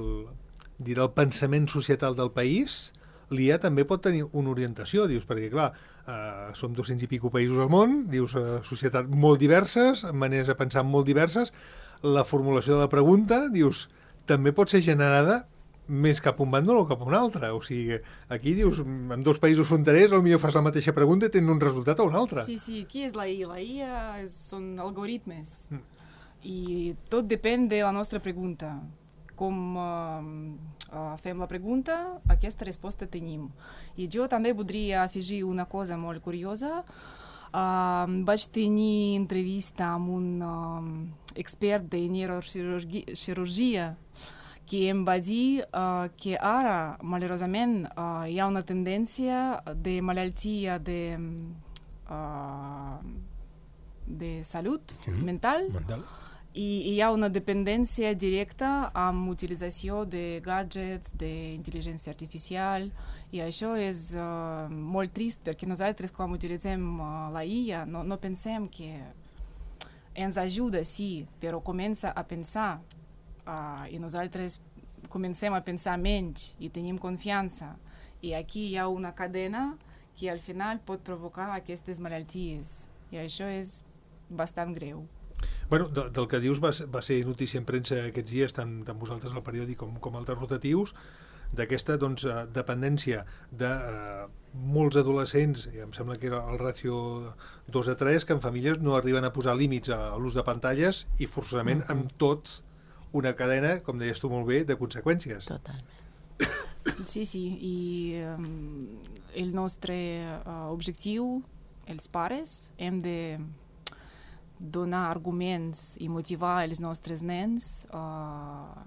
diré, el pensament societal del país, l'I A també pot tenir una orientació, dius, perquè clar, eh, som dos-cents i pico països al món, dius, eh, societats molt diverses, maneres de pensar molt diverses, la formulació de la pregunta, dius, també pot ser generada més cap a un bàndol o cap a un altre. O sigui, aquí dius, en dos països fronterers potser fas la mateixa pregunta i tens un resultat o un altre. Sí, sí, què és la I A? La I A és, són algoritmes. Mm. I tot depèn de la nostra pregunta. Com uh, uh, fem la pregunta, aquesta resposta tenim. I jo també voldria afegir una cosa molt curiosa. Uh, vaig tenir entrevista amb un uh, expert de neurocirurgia que em va dir uh, que ara, malauradament, uh, hi ha una tendència de malaltia de, uh, de salut sí, mental, mental i hi ha una dependència directa amb utilització de gadgets, d'intel·ligència artificial, i això és uh, molt trist perquè nosaltres quan utilitzem uh, la I A no, no pensem que ens ajuda, sí, però comença a pensar uh, i nosaltres comencem a pensar menys i tenim confiança, i aquí hi ha una cadena que al final pot provocar aquestes malalties, i això és bastant greu. Bueno, de, del que dius va, va ser notícia en premsa aquests dies, tant, tant vosaltres al periòdic com, com altres rotatius, d'aquesta doncs, dependència de eh, molts adolescents, i em sembla que era el ràcio dos a tres, que en famílies no arriben a posar límits a, a l'ús de pantalles i forçosament mm-hmm. amb tot una cadena, com deies tu molt bé, de conseqüències. Totalment. Sí, sí, i um, el nostre uh, objectiu, els pares, hem de donar arguments i motivar els nostres nens a uh,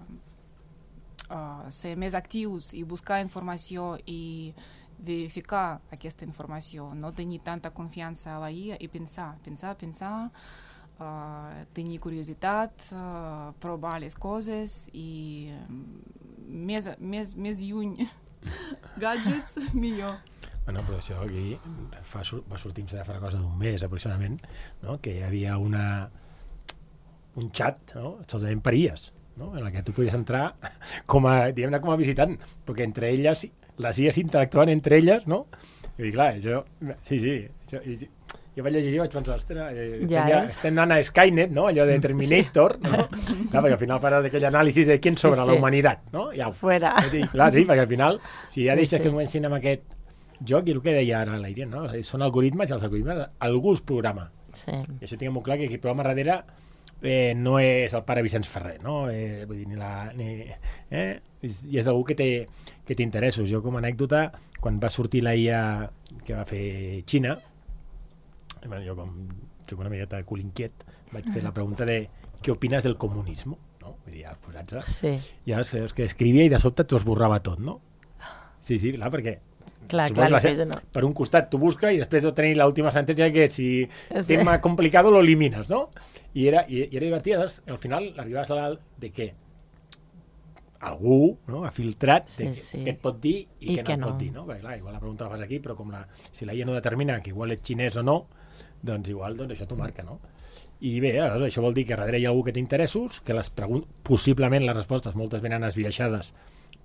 uh, ser més actius i buscar informació i verificar aquesta informació, no tenir tanta confiança a la I A i pensar, pensar, pensar, uh, tenir curiositat, uh, provar les coses i um, més, més, més lluny gadgets, millor. Bueno, però això aquí fa, va sortir fa una cosa d'un mes aproximadament, no? Que hi havia una, un xat, no? Solament per I As, no? En la que tu podies entrar com a, diguem-ne, com a visitant, perquè entre elles, les I As interactuaven entre elles, no? I clar, jo, sí, sí, jo, jo vaig llegir i vaig pensar, ostres, eh, ja estem, estem anant a Skynet, no? Allò de Terminator, sí. No? Clar, perquè al final parles d'aquell anàlisi de qui sobre sí, sí. la humanitat, no? Ja, fuera. Clar, sí, perquè al final, si ja sí, deixes sí. que comencin amb aquest joc, i el que deia ara la Irene, no? Són algoritmes, i els algoritmes algú els programa. Sí. I això tinguem molt clar, que qui programa darrere eh, no és el pare Vicenç Ferrer, no? Eh, vull dir, ni la... Ni, eh? I és algú que té, que té interessos. Jo, com a anècdota, quan va sortir la I A que va fer Xina, bueno, jo com soc una miqueta culinquiet, vaig fer la pregunta de què opines del comunisme, no? Vull dir, ja posats-se. Sí. I llavors és que escrivia i de sobte t'ho esborrava tot, no? Sí, sí, clar, perquè Clar, clar, la, no. per un costat tu busca i després de tenir l'última sentència que si sí. tema complicado lo elimines, no? I era, i, i era divertit, doncs, al final arribaves a dalt de què algú, no, ha filtrat sí, de sí. què et pot dir i, I què no que et no. pot dir, no? Perquè clar, igual la pregunta la fas aquí, però com la, si la I A no determina que igual ets xinès o no, doncs igual doncs això t'ho marca, no? I bé, aleshores, això vol dir que darrere hi ha algú que té interessos, que les preguntes, possiblement les respostes moltes venen esbiaixades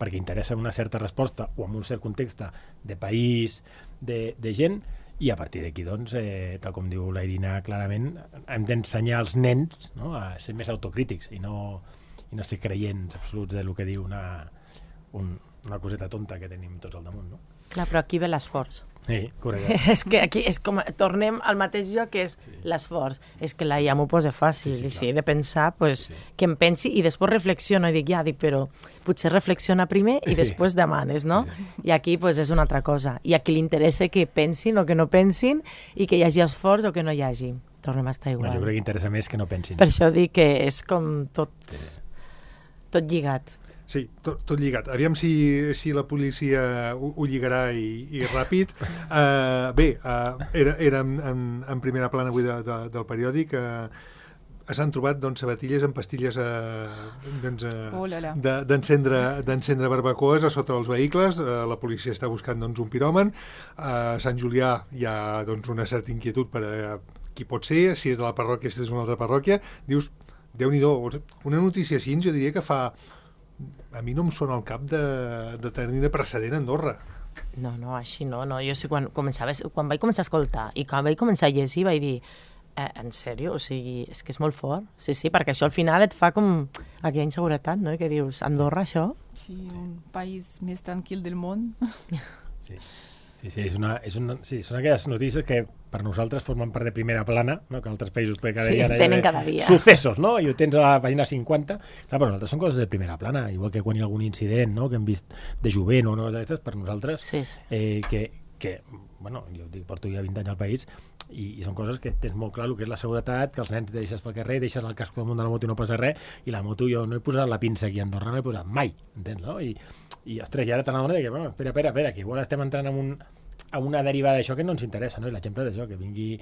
perquè interessa una certa resposta o en un cert context de país, de, de gent, i a partir d'aquí, doncs, eh, tal com diu la Irina clarament, hem d'ensenyar als nens, no?, a ser més autocrítics i no, i no ser creients absoluts del que diu una, un, una coseta tonta que tenim tots al damunt, no? Clar, però aquí ve l'esforç. Sí, correcte. És que aquí és com, tornem al mateix joc, que és sí. l'esforç. És que la I A m'ho posa fàcil, sí, sí, i si he de pensar, pues, sí. que em pensi i després reflexiono i dic, ja, dic, però potser reflexiona primer i després demanes, no? Sí. I aquí pues, és una altra cosa. I a qui li interessa que pensin o que no pensin i que hi hagi esforç o que no hi hagi. Tornem a estar igual. Bueno, jo crec que interessa més que no pensin. Per això dic que és com tot, sí. tot lligat. Sí, tot, tot lligat. Aviam si, si la policia ho, ho lligarà i, i ràpid. Uh, bé, uh, era, era en, en, en primera plana avui de, de, del periòdic. Uh, s'han trobat doncs, sabatilles amb pastilles uh, doncs, uh, oh, d'encendre d'encendre barbacoes a sota dels vehicles. Uh, la policia està buscant doncs, un piròman. Uh, a Sant Julià hi ha doncs, una certa inquietud per a qui pot ser, si és de la parròquia, si és d'una altra parròquia. Dius, Déu-n'hi-do, una notícia així jo diria que fa... A mi no em sona al cap de, de tenir de precedent a Andorra. No, no, així no. no. Jo sí, quan, començava, quan vaig començar a escoltar i quan vaig començar a llegir vaig dir, eh, en sèrio? O sigui, és que és molt fort. Sí, sí, perquè això al final et fa com aquella inseguretat, no? I que dius, Andorra, això? Sí, un país més tranquil del món. Sí. Sí, sí, és una, és una, sí, són aquelles notícies que per nosaltres formen part de primera plana, no? Que en altres països cada sí, dia tenen cada dia. Successos, no? I ho tens a la pàgina cinquanta. Clar, per nosaltres són coses de primera plana, igual que quan hi ha algun incident, no? Que hem vist de jovent o no, per nosaltres, sí, sí. Eh, que, que, bueno, jo dic, porto ja vint anys al país i, i són coses que tens molt clar el que és la seguretat, que els nens deixes pel carrer, deixes el casco damunt de la moto i no passa res, i la moto jo no he posat la pinça aquí a Andorra, no he posat mai, entens, no? I, i ostres, i ara te n'adones que, bueno, espera, espera, espera, que igual estem entrant en un a una derivada d'això que no ens interessa, no? I l'exemple d'això, que vingui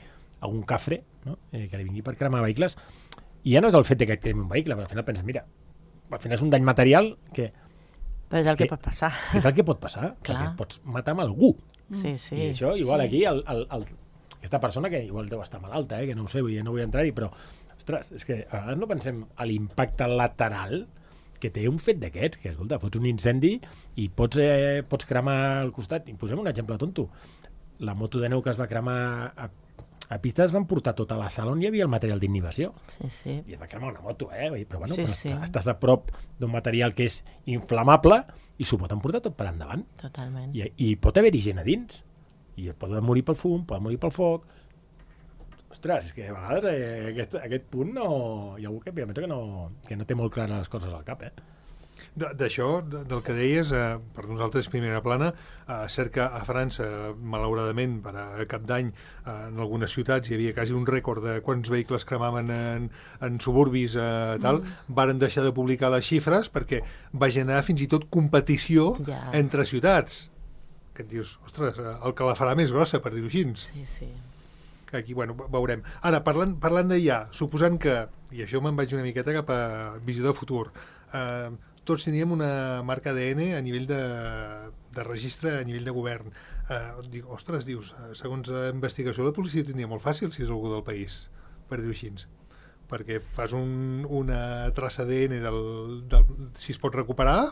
a un cafre, no? Eh, que li vingui per cremar vehicles, i ja no és el fet de que cremi un vehicle, però al final penses, mira, al final és un dany material que... Però és el que, que pot passar. És el que pot passar, clar. Perquè pots matar amb algú. Sí, sí. I això, igual sí. aquí, el, el, el, aquesta persona que igual deu estar malalta, eh, que no ho sé, vull dir, no vull entrar-hi, però, ostres, és que a vegades no pensem a l'impacte lateral que té un fet d'aquests, que, escolta, fots un incendi i pots, eh, pots cremar al costat. I posem un exemple tonto. La moto de neu que es va cremar a, a pista es van portar tota la sala on hi havia el material d'inhibició. Sí, sí. I es va cremar una moto, eh? Però, bueno, sí, però sí. estàs a prop d'un material que és inflamable i s'ho pot emportar tot per endavant. Totalment. I, i pot haver-hi gent a dins. I pot morir pel fum, pot morir pel foc. Ostres, és que a vegades eh, aquest, aquest punt no... Hi ha algú que penso que no, que no té molt clares les coses al cap, eh? D'això, de, del que deies, eh, per nosaltres primera plana, eh, cert que a França, malauradament, per a cap d'any, eh, en algunes ciutats hi havia quasi un rècord de quants vehicles cremaven en, en suburbis, eh, tal, mm. varen deixar de publicar les xifres perquè va generar fins i tot competició yeah. entre ciutats. Que et dius, ostres, el que la farà més grossa, per dir-ho així. Sí, sí. Aquí, bueno, veurem. Ara, parlant, parlant d'I A, suposant que, i això me'n vaig una miqueta cap a visió de futur, eh, tots teníem una marca A D N a nivell de, de registre, a nivell de govern. Eh, dic, ostres, dius, segons la investigació la policia tindria molt fàcil si és algú del país, per dir-ho així. Perquè fas un, una traça A D N del, del, si es pot recuperar.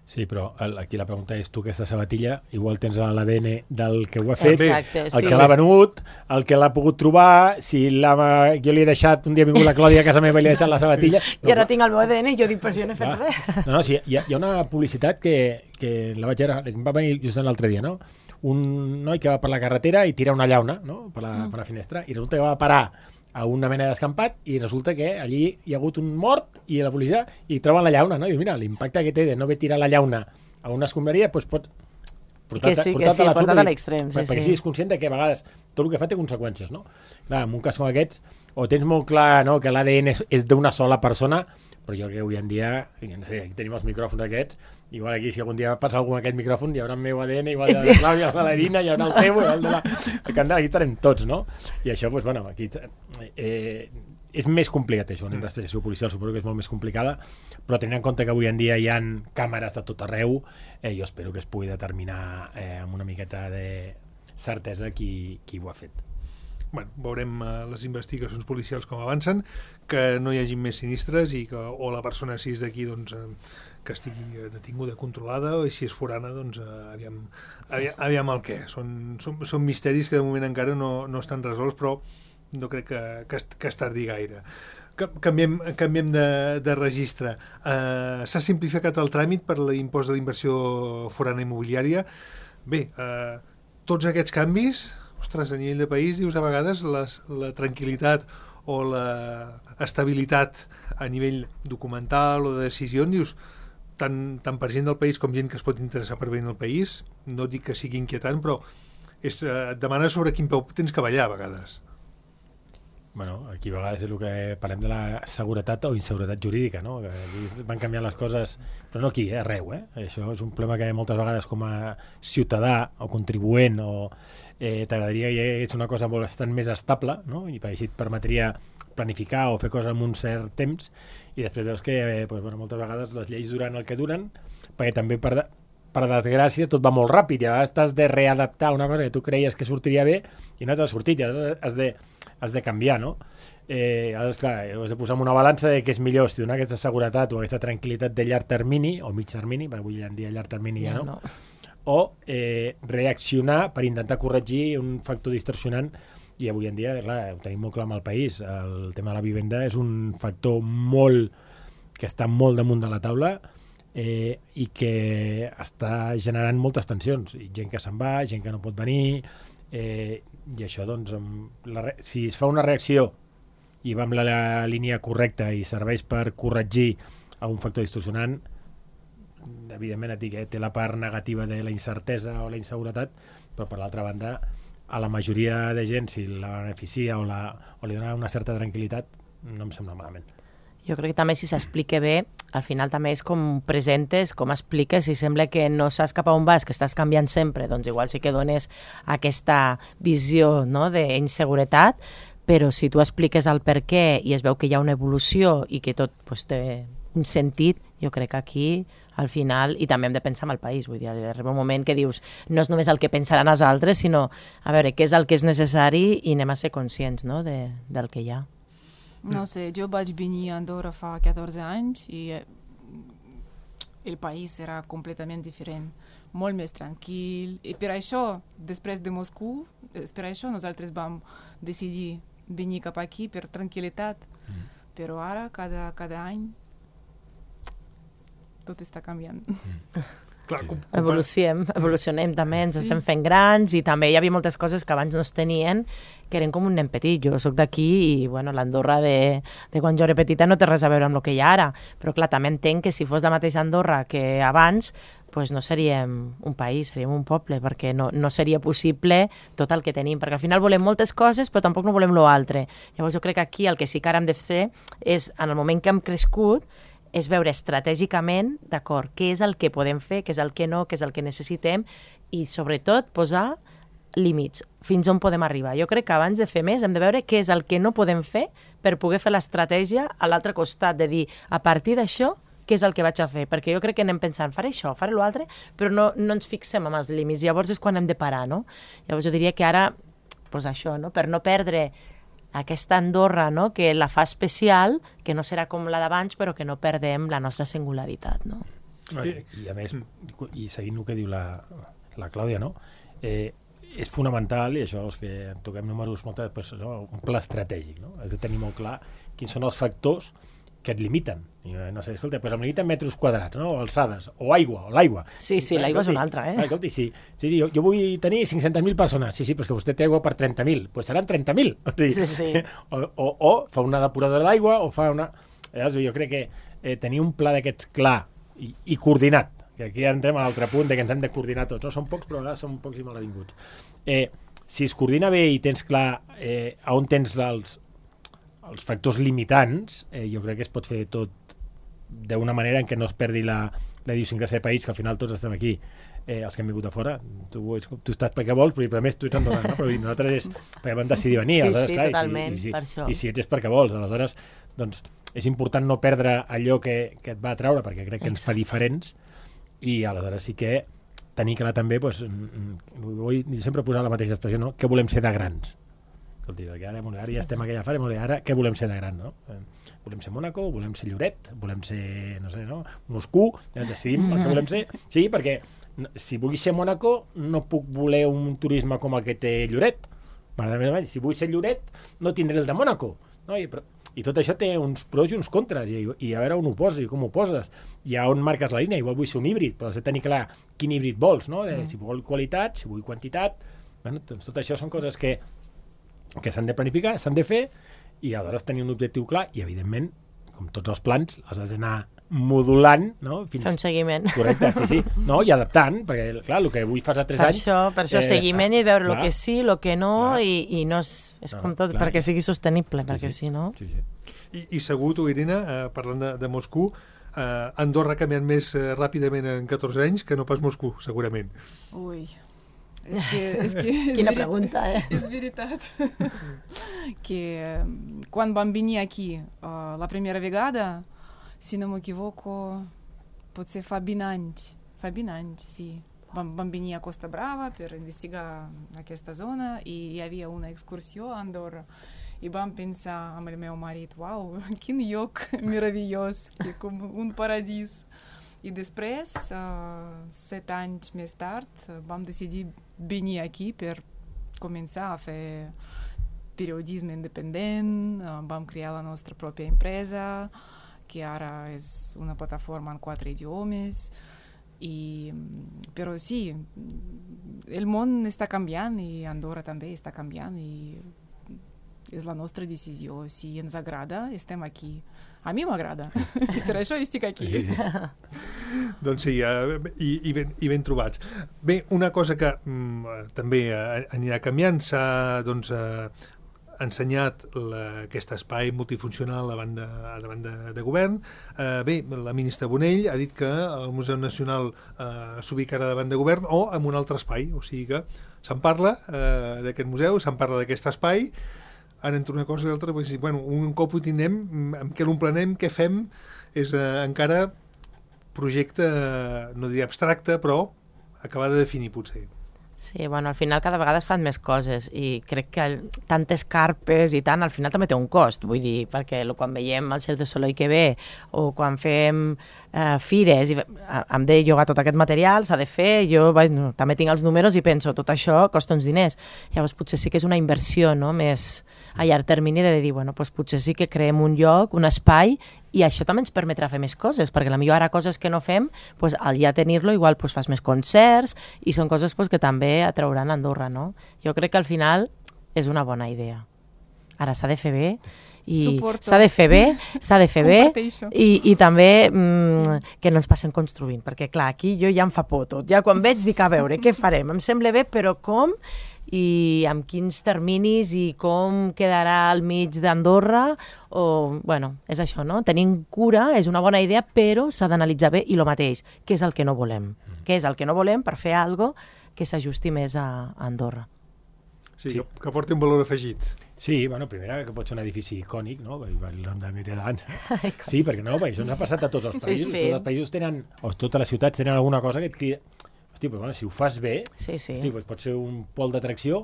Sí, però el, aquí la pregunta és, tu aquesta sabatilla igual tens l'A D N del que ho ha fet, exacte, el sí. que l'ha venut, el que l'ha pogut trobar, si l'ha, jo li he deixat, un dia ha vingut la Clàudia a casa meva i li he deixat la sabatilla. No, I ara tinc el meu A D N i jo dic, però jo no he fet va. res. No, no, sí, hi ha, hi ha una publicitat que, que la vaig veure, em va venir just l'altre dia, no? Un noi que va per la carretera i tira una llauna, no? Per la, per la finestra, i resulta que va parar a una mena d'escampat i resulta que allí hi ha hagut un mort i la policia i troben la llauna, no? I diu, mira, l'impacte que té de no haver tirat la llauna a una escombraria, doncs pot portar-te que sí, portar que sí, portar a l'extrem, sí, perquè sí. siguis conscient de que a vegades tot el que fa té conseqüències, no? Clar, en un cas com aquests, o tens molt clar, no?, que l'A D N és, és d'una sola persona, però jo crec que avui en dia, no sé, aquí tenim els micròfons aquests, igual aquí si algun dia passa algú amb aquest micròfon hi haurà el meu A D N, igual de la Clàudia, el de l'Irina, hi haurà el teu, el de la Candela, aquí estarem tots, no? I això, doncs, bueno, aquí eh, és més complicat això, una investigació policial suposo que és molt més complicada, però tenint en compte que avui en dia hi ha càmeres de tot arreu, eh, jo espero que es pugui determinar eh, amb una miqueta de certesa qui, qui ho ha fet. Bueno, veurem uh, les investigacions policials com avancen, que no hi hagi més sinistres i que o la persona, si és d'aquí, doncs, uh, que estigui detinguda, controlada, o si és forana, doncs, uh, aviam, aviam, aviam el què. Són, són, són misteris que de moment encara no, no estan resolts, però no crec que, que, que es tardi gaire. Canviem, canviem de, de registre. Uh, S'ha simplificat el tràmit per l'impost de la inversió forana immobiliària. Bé, eh, tots aquests canvis, ostres, a nivell de país, dius, a vegades les, la tranquil·litat o la estabilitat a nivell documental o de decisió, dius, tant, tant per gent del país com gent que es pot interessar per venir al país, no dic que sigui inquietant, però és, eh, et demana sobre quin peu tens que ballar a vegades. Bueno, aquí a vegades és el que parlem de la seguretat o inseguretat jurídica, no? Que aquí van canviant les coses, però no aquí, eh? Arreu, eh? Això és un problema que moltes vegades com a ciutadà o contribuent o eh, t'agradaria que hi hagués una cosa bastant més estable, no? I així et permetria planificar o fer coses en un cert temps, i després veus que eh, pues, bueno, moltes vegades les lleis duren el que duren, perquè també per, de, per desgràcia tot va molt ràpid, i a vegades t'has de readaptar una cosa que tu creies que sortiria bé i no t'ha sortit, i has de has de canviar, no? Eh, aleshores, clar, has de posar en una balança de què és millor, si donar aquesta seguretat o aquesta tranquil·litat de llarg termini, o mig termini, perquè avui en dia llarg termini ja, ja no, no. O eh, reaccionar per intentar corregir un factor distorsionant, i avui en dia, clar, ho tenim molt clar amb el país, el tema de la vivenda és un factor molt, que està molt damunt de la taula, eh, i que està generant moltes tensions, i gent que se'n va, gent que no pot venir, eh, i això, doncs, la, si es fa una reacció i va amb la, la línia correcta i serveix per corregir un factor distorsionant, evidentment et dic, eh, té la part negativa de la incertesa o la inseguretat, però per l'altra banda, a la majoria de gent, si la beneficia o, la, o li dona una certa tranquil·litat, no em sembla malament. Jo crec que també si s'explica bé, al final també és com presentes, com expliques, si sembla que no saps cap a on vas, que estàs canviant sempre, doncs igual sí que dones aquesta visió, no?, d'inseguretat, però si tu expliques el per què i es veu que hi ha una evolució i que tot pues, té un sentit, jo crec que aquí, al final, i també hem de pensar en el país, vull dir, arriba un moment que dius, no és només el que pensaran els altres, sinó a veure què és el que és necessari i anem a ser conscients, no?, de, del que hi ha. No sé, jo vaig venir a Andorra fa catorze anys i el país era completament diferent, molt més tranquil. I per això, després de Moscou, per això nosaltres vam decidir venir cap aquí per tranquil·litat. Mm. Però ara, cada, cada any, tot està canviant. Mm. Clar, com, com evolucionem, evolucionem també, ens sí. estem fent grans i també hi havia moltes coses que abans no es tenien que eren com un nen petit. Jo soc d'aquí i bueno, l'Andorra de, de quan jo era petita no té res a veure amb el que hi ha ara, però clar, també entenc que si fos la mateixa Andorra que abans, pues no seríem un país, seríem un poble, perquè no, no seria possible tot el que tenim, perquè al final volem moltes coses però tampoc no volem l'altre. Llavors jo crec que aquí el que sí que ara hem de fer és, en el moment que hem crescut, és veure estratègicament, d'acord, què és el que podem fer, què és el que no, què és el que necessitem i, sobretot, posar límits, fins on podem arribar. Jo crec que abans de fer més hem de veure què és el que no podem fer per poder fer l'estratègia a l'altre costat, de dir, a partir d'això, què és el que vaig a fer? Perquè jo crec que anem pensant, faré això, faré l'altre, però no, no ens fixem en els límits. Llavors és quan hem de parar, no? Llavors jo diria que ara, doncs això, no? Per no perdre aquesta Andorra, no?, que la fa especial, que no serà com la d'abans, però que no perdem la nostra singularitat, no? I, i a més, i seguint el que diu la, la Clàudia, no?, eh, és fonamental, i això és que toquem números moltes, pues, no? Un pla estratègic, no? Has de tenir molt clar quins són els factors que et limiten. I no sé, escolta, doncs em limiten metres quadrats, no?, o alçades, o aigua, o l'aigua. Sí, sí, l'aigua és una altra, eh? Ah, escolta, sí, sí, jo, jo vull tenir cinc-centes mil persones. Sí, sí, però és que vostè té aigua per trenta mil. Doncs pues seran trenta mil. Sí, sí. O, o, o fa una depuradora d'aigua, o fa una... Llavors, jo crec que eh, tenir un pla d'aquests clar i, i coordinat, que aquí entrem a l'altre punt de que ens hem de coordinar tots. No? Són pocs, però a vegades són pocs i malavinguts. Eh, si es coordina bé i tens clar eh, on tens els, els factors limitants, eh, jo crec que es pot fer tot d'una manera en què no es perdi la, la idiosincràsia de país, que al final tots estem aquí, eh, els que hem vingut a fora. Tu, tu estàs perquè vols, però a més tu ets andorrà, no? Però nosaltres és perquè vam decidir venir. Sí, aleshores, sí, clar, totalment, i si, i si, per això. I si ets és perquè vols, aleshores, doncs, és important no perdre allò que, que et va atraure, perquè crec que ens fa diferents, i aleshores sí que tenir clar també, doncs, vull sempre posar la mateixa expressió, no?, què volem ser de grans. Escolti, ara, ara ja estem a aquella fase, ara què volem ser de gran, no? Volem ser Mònaco, volem ser Lloret, volem ser, no sé, no? Moscou, ja decidim el que volem ser. Sí, perquè si vull ser Mònaco no puc voler un turisme com el que té Lloret. Si vull ser Lloret no tindré el de Mònaco. No? I, però, I tot això té uns pros i uns contres, i, i a veure on ho poses i com ho poses, i a on marques la línia. Igual vull ser un híbrid, però has de tenir clar quin híbrid vols, no? De, si vol qualitat, si vull quantitat. Bueno, doncs tot això són coses que, que s'han de planificar, s'han de fer, i aleshores tenir un objectiu clar, i evidentment, com tots els plans, els has d'anar modulant, no? Fins... Fer un seguiment. Correcte, sí, sí. No? I adaptant, perquè, clar, el que avui fas a tres per anys... Això, per això, eh, seguiment i veure el que sí, el que no, clar. i, i no és, és No, com tot, clar. perquè sigui sostenible, Sí, perquè sí. si no... Sí, sí. I, i segur, tu, Irina, eh, parlant de, de Moscou, eh, Andorra ha canviat més eh, ràpidament en catorze anys que no pas Moscou, segurament. Ui, és que... És que és Quina veri- pregunta, eh? És veritat. que eh, quan vam venir aquí uh, la primera vegada, si no m'equivoco, potser fa vint anys, fa vint anys, sí. Vam, vam venir a Costa Brava per investigar aquesta zona i hi havia una excursió a Andorra. I vam pensar amb el meu marit, uau, quin lloc meravellós, que com un paradís. I després, uh, set anys més tard, uh, vam decidir venir aquí per començar a fer periodisme independent, uh, vam crear la nostra pròpia empresa, que ara és una plataforma en quatre idiomes. I, però sí, el món està canviant i Andorra també està canviant i és la nostra decisió. Si ens agrada, estem aquí. A mi m'agrada, i per això estic aquí. Sí, sí. Doncs sí, eh, i, i, ben, i ben trobats. Bé, una cosa que mm, també eh, anirà canviant, s'ha doncs, eh, ensenyat la, aquest espai multifuncional davant de, davant de, de govern. Eh, bé, la ministra Bonell ha dit que el Museu Nacional eh, s'ubicarà davant de govern o en un altre espai, o sigui que se'n parla eh, d'aquest museu, se'n parla d'aquest espai. Ara, entre una cosa i l'altra, doncs, bueno, un cop ho tindrem, amb què l'omplenem, què fem, és eh, encara projecte, no diria abstracte, però acabar de definir, potser. Sí, bueno, al final cada vegada es fan més coses i crec que el, tantes carpes i tant, al final també té un cost, vull dir, perquè quan veiem el Cirque du Soleil que ve o quan fem eh, fires i hem de llogar tot aquest material, s'ha de fer, jo vaig, no, també tinc els números i penso, tot això costa uns diners. Llavors potser sí que és una inversió, no?, més a llarg termini de dir, bueno, doncs potser sí que creem un lloc, un espai, i això també ens permetrà fer més coses, perquè potser ara coses que no fem, doncs, al ja tenir-lo igual doncs, fas més concerts i són coses doncs, que també atrauran a Andorra, no? Jo crec que al final és una bona idea. Ara s'ha de fer bé i Suporto. s'ha de fer bé, s'ha de fer bé Comparteixo. i, i també mm, sí. que no ens passem construint, perquè clar, aquí jo ja em fa por tot. Ja quan veig dic, a veure, què farem? Em sembla bé, però com? I amb quins terminis i com quedarà al mig d'Andorra o, bueno, és això, no? Tenim cura, és una bona idea, però s'ha d'analitzar bé i el mateix, què és el que no volem? Mm. Què és el que no volem per fer alguna cosa que s'ajusti més a, a Andorra? Sí, Sí. Que, que porti un valor afegit. Sí, bueno, primera que pot ser un edifici icònic, no? El nom de Mitterrand. Sí, perquè no, perquè això ens ha passat a tots els Sí, països. sí. Tots els països tenen, o totes les ciutats tenen alguna cosa que et crida. Hosti, però bueno, si ho fas bé, Sí, sí. hosti, doncs pot ser un pol d'atracció.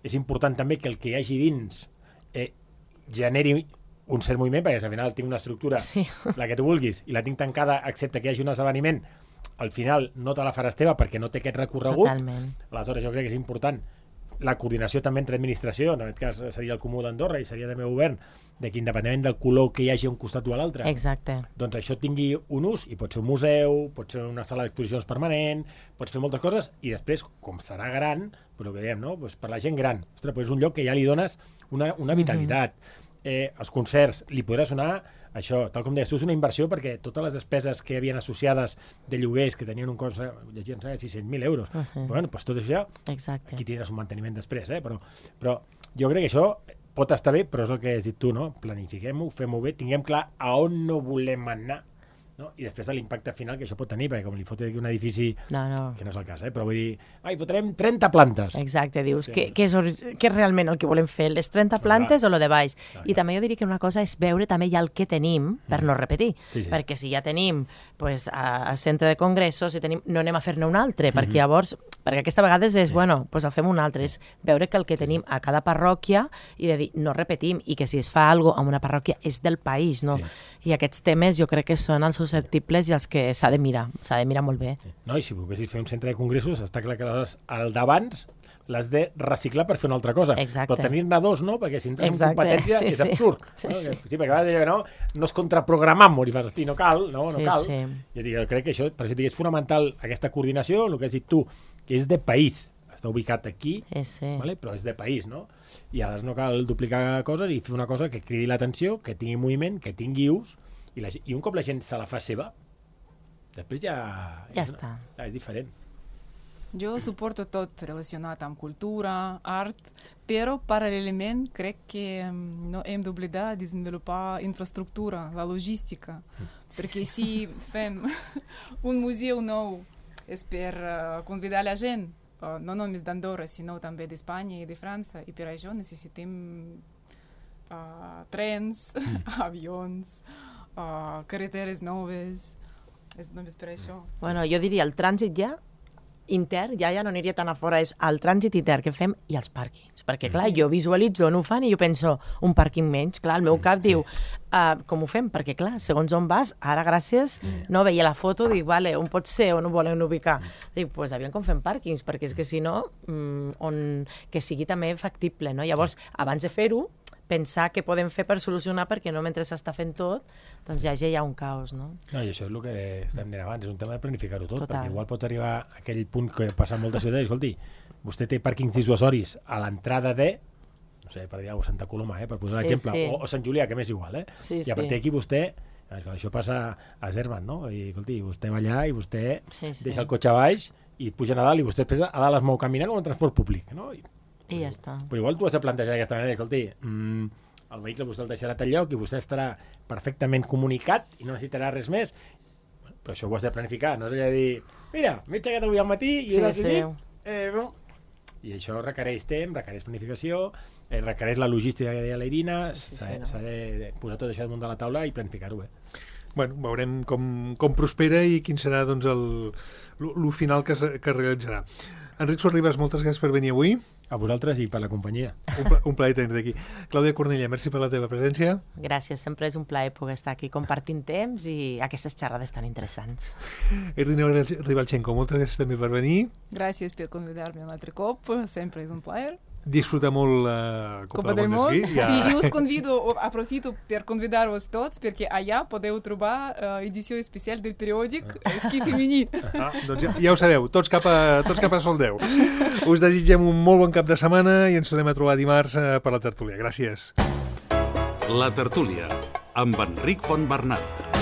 És important també que el que hi hagi dins eh, generi un cert moviment, perquè si al final tinc una estructura, Sí. la que tu vulguis, i la tinc tancada, excepte que hi hagi un esdeveniment, al final no te la faràs teva perquè no té aquest recorregut. Totalment. Aleshores jo crec que és important la coordinació també entre administració, en aquest cas seria el Comú d'Andorra i seria també el govern, de que independentment del color que hi hagi a un costat o a l'altre, Exacte. doncs això tingui un ús, i pot ser un museu, pot ser una sala d'exposicions permanent, pots fer moltes coses, i després, com serà gran, però que dèiem, no? Pues per la gent gran, ostres, pues és un lloc que ja li dones una, una vitalitat. Eh, els concerts, li podrà sonar això, tal com deies tu, és una inversió perquè totes les despeses que havien associades de lloguers que tenien un cost, llegien sis-cents mil euros, Uh -huh. bueno, doncs tot això, Exacte. aquí tindràs un manteniment després, eh? però, però jo crec que això pot estar bé, però és el que has dit tu, no? Planifiquem-ho, fem-ho bé, tinguem clar a on no volem anar, no? I després de l'impacte final que això pot tenir, perquè com li fot aquí un edifici, No, no. que no és el cas, eh? Però vull dir, ai, fotrem trenta plantes. Exacte, dius, Sí. què, què, és, ori- què és realment el que volem fer, les trenta plantes o lo de baix? I també jo diria que una cosa és veure també ja el que tenim per no repetir, Sí, sí. perquè si ja tenim pues, a, a centre de congressos, si tenim, no anem a fer-ne un altre, perquè llavors, perquè aquesta vegada és, bueno, pues el fem un altre, és veure que el que tenim a cada parròquia i de dir, no repetim, i que si es fa alguna cosa en una parròquia és del país, no? Sí. I aquests temes jo crec que són els susceptibles i els que s'ha de mirar, s'ha de mirar molt bé. No, i si volguessis fer un centre de congressos, està clar que aleshores, al d'abans, l'has de reciclar per fer una altra cosa. Exacte. Però tenir-ne dos, no? Perquè si entres Exacte. en competència Sí, és sí. absurd. Sí, no? sí. Sí, perquè a vegades deia que no, no es contraprogramam, i fas, hosti, no cal, no, no Sí, cal. sí. Jo dic, crec que això, per això dic, és fonamental aquesta coordinació, el que has dit tu, que és de país. Està ubicat aquí, Sí, sí. vale? Però és de país, no? I aleshores no cal duplicar coses i fer una cosa que cridi l'atenció, que tingui moviment, que tingui ús, i, la, i un cop la gent se la fa seva, després ja... Ja és, està. Ja és diferent. Jo suporto tot relacionat amb cultura, art, però paral·lelament crec que mm, no hem d'oblidar de desenvolupar infraestructura, la logística, perquè si fem un museu nou és per uh, convidar la gent, uh, no només d'Andorra, sinó també d'Espanya i de França, i per això necessitem uh, trens, avions, uh, carreteres noves, és només per això. Bueno, jo diria el trànsit ja intern, ja ja no aniria tan a fora, és el trànsit intern que fem i els pàrquings. Perquè, clar, jo visualitzo on ho fan i jo penso, un pàrquing menys. Clar, el meu cap diu, uh, com ho fem? Perquè, clar, segons on vas, ara gràcies, no veia la foto, dic, vale, on pot ser, on ho volen ubicar? Dic, pues aviam com fem pàrquings, perquè és que si no, mm, on, que sigui també factible, no? Llavors, abans de fer-ho, pensar què podem fer per solucionar, perquè no mentre s'està fent tot, doncs ja ja hi ha un caos, no? No, i això és el que estem dient abans, és un tema de planificar-ho tot, Total. perquè igual pot arribar a aquell punt que passa en moltes ciutats, escolti, vostè té pàrquings dissuasoris a l'entrada de, no sé, per dir alguna cosa, Santa Coloma, eh, per posar Sí, l'exemple, sí. o, o Sant Julià, que m'és igual, eh? Sí, I a partir sí. d'aquí vostè, això passa a Zerman, no? I, escolti, vostè va allà i vostè Sí, sí. deixa el cotxe a baix i et puja a dalt i vostè després a dalt es mou caminant o en transport públic, no? I, I ja està. però igual tu has de plantejar d'aquesta manera, escolti, mm, el vehicle vostè el deixarà a tal lloc i vostè estarà perfectament comunicat i no necessitarà res més. Però això ho has de planificar, no és allà de dir, mira, m'he aixecat avui al matí i Sí, he decidit... sí. Eh, no. I això requereix temps, requereix planificació, eh, requereix la logística que deia la Irina, Sí, sí, s'ha sí, no? s'ha de posar tot això damunt de la taula i planificar-ho bé. Bueno, veurem com, com prospera i quin serà doncs, el, el, el final que es, que es realitzarà. Enric Sorribas, moltes gràcies per venir avui. A vosaltres i per la companyia. Un, pla, un plaer tenir-te aquí. Clàudia Cornellà, merci per la teva presència. Gràcies, sempre és un plaer poder estar aquí compartint temps i aquestes xerrades tan interessants. Irina Ribalchenko, moltes gràcies també per venir. Gràcies per convidar-me un altre cop, sempre és un plaer. Disfruta molt la Copa, Copa del del Món. Món d'Esquí. Sí, i us convido, aprofito per convidar-vos tots, perquè allà podeu trobar uh, edició especial del periòdic Esquí femení. Ah, doncs ja, ja ho sabeu, tots cap a, tots cap a Sol deu. Us desitgem un molt bon cap de setmana i ens tornem a trobar dimarts eh, per la tertúlia. Gràcies. La tertúlia, amb Enric Fontbernat.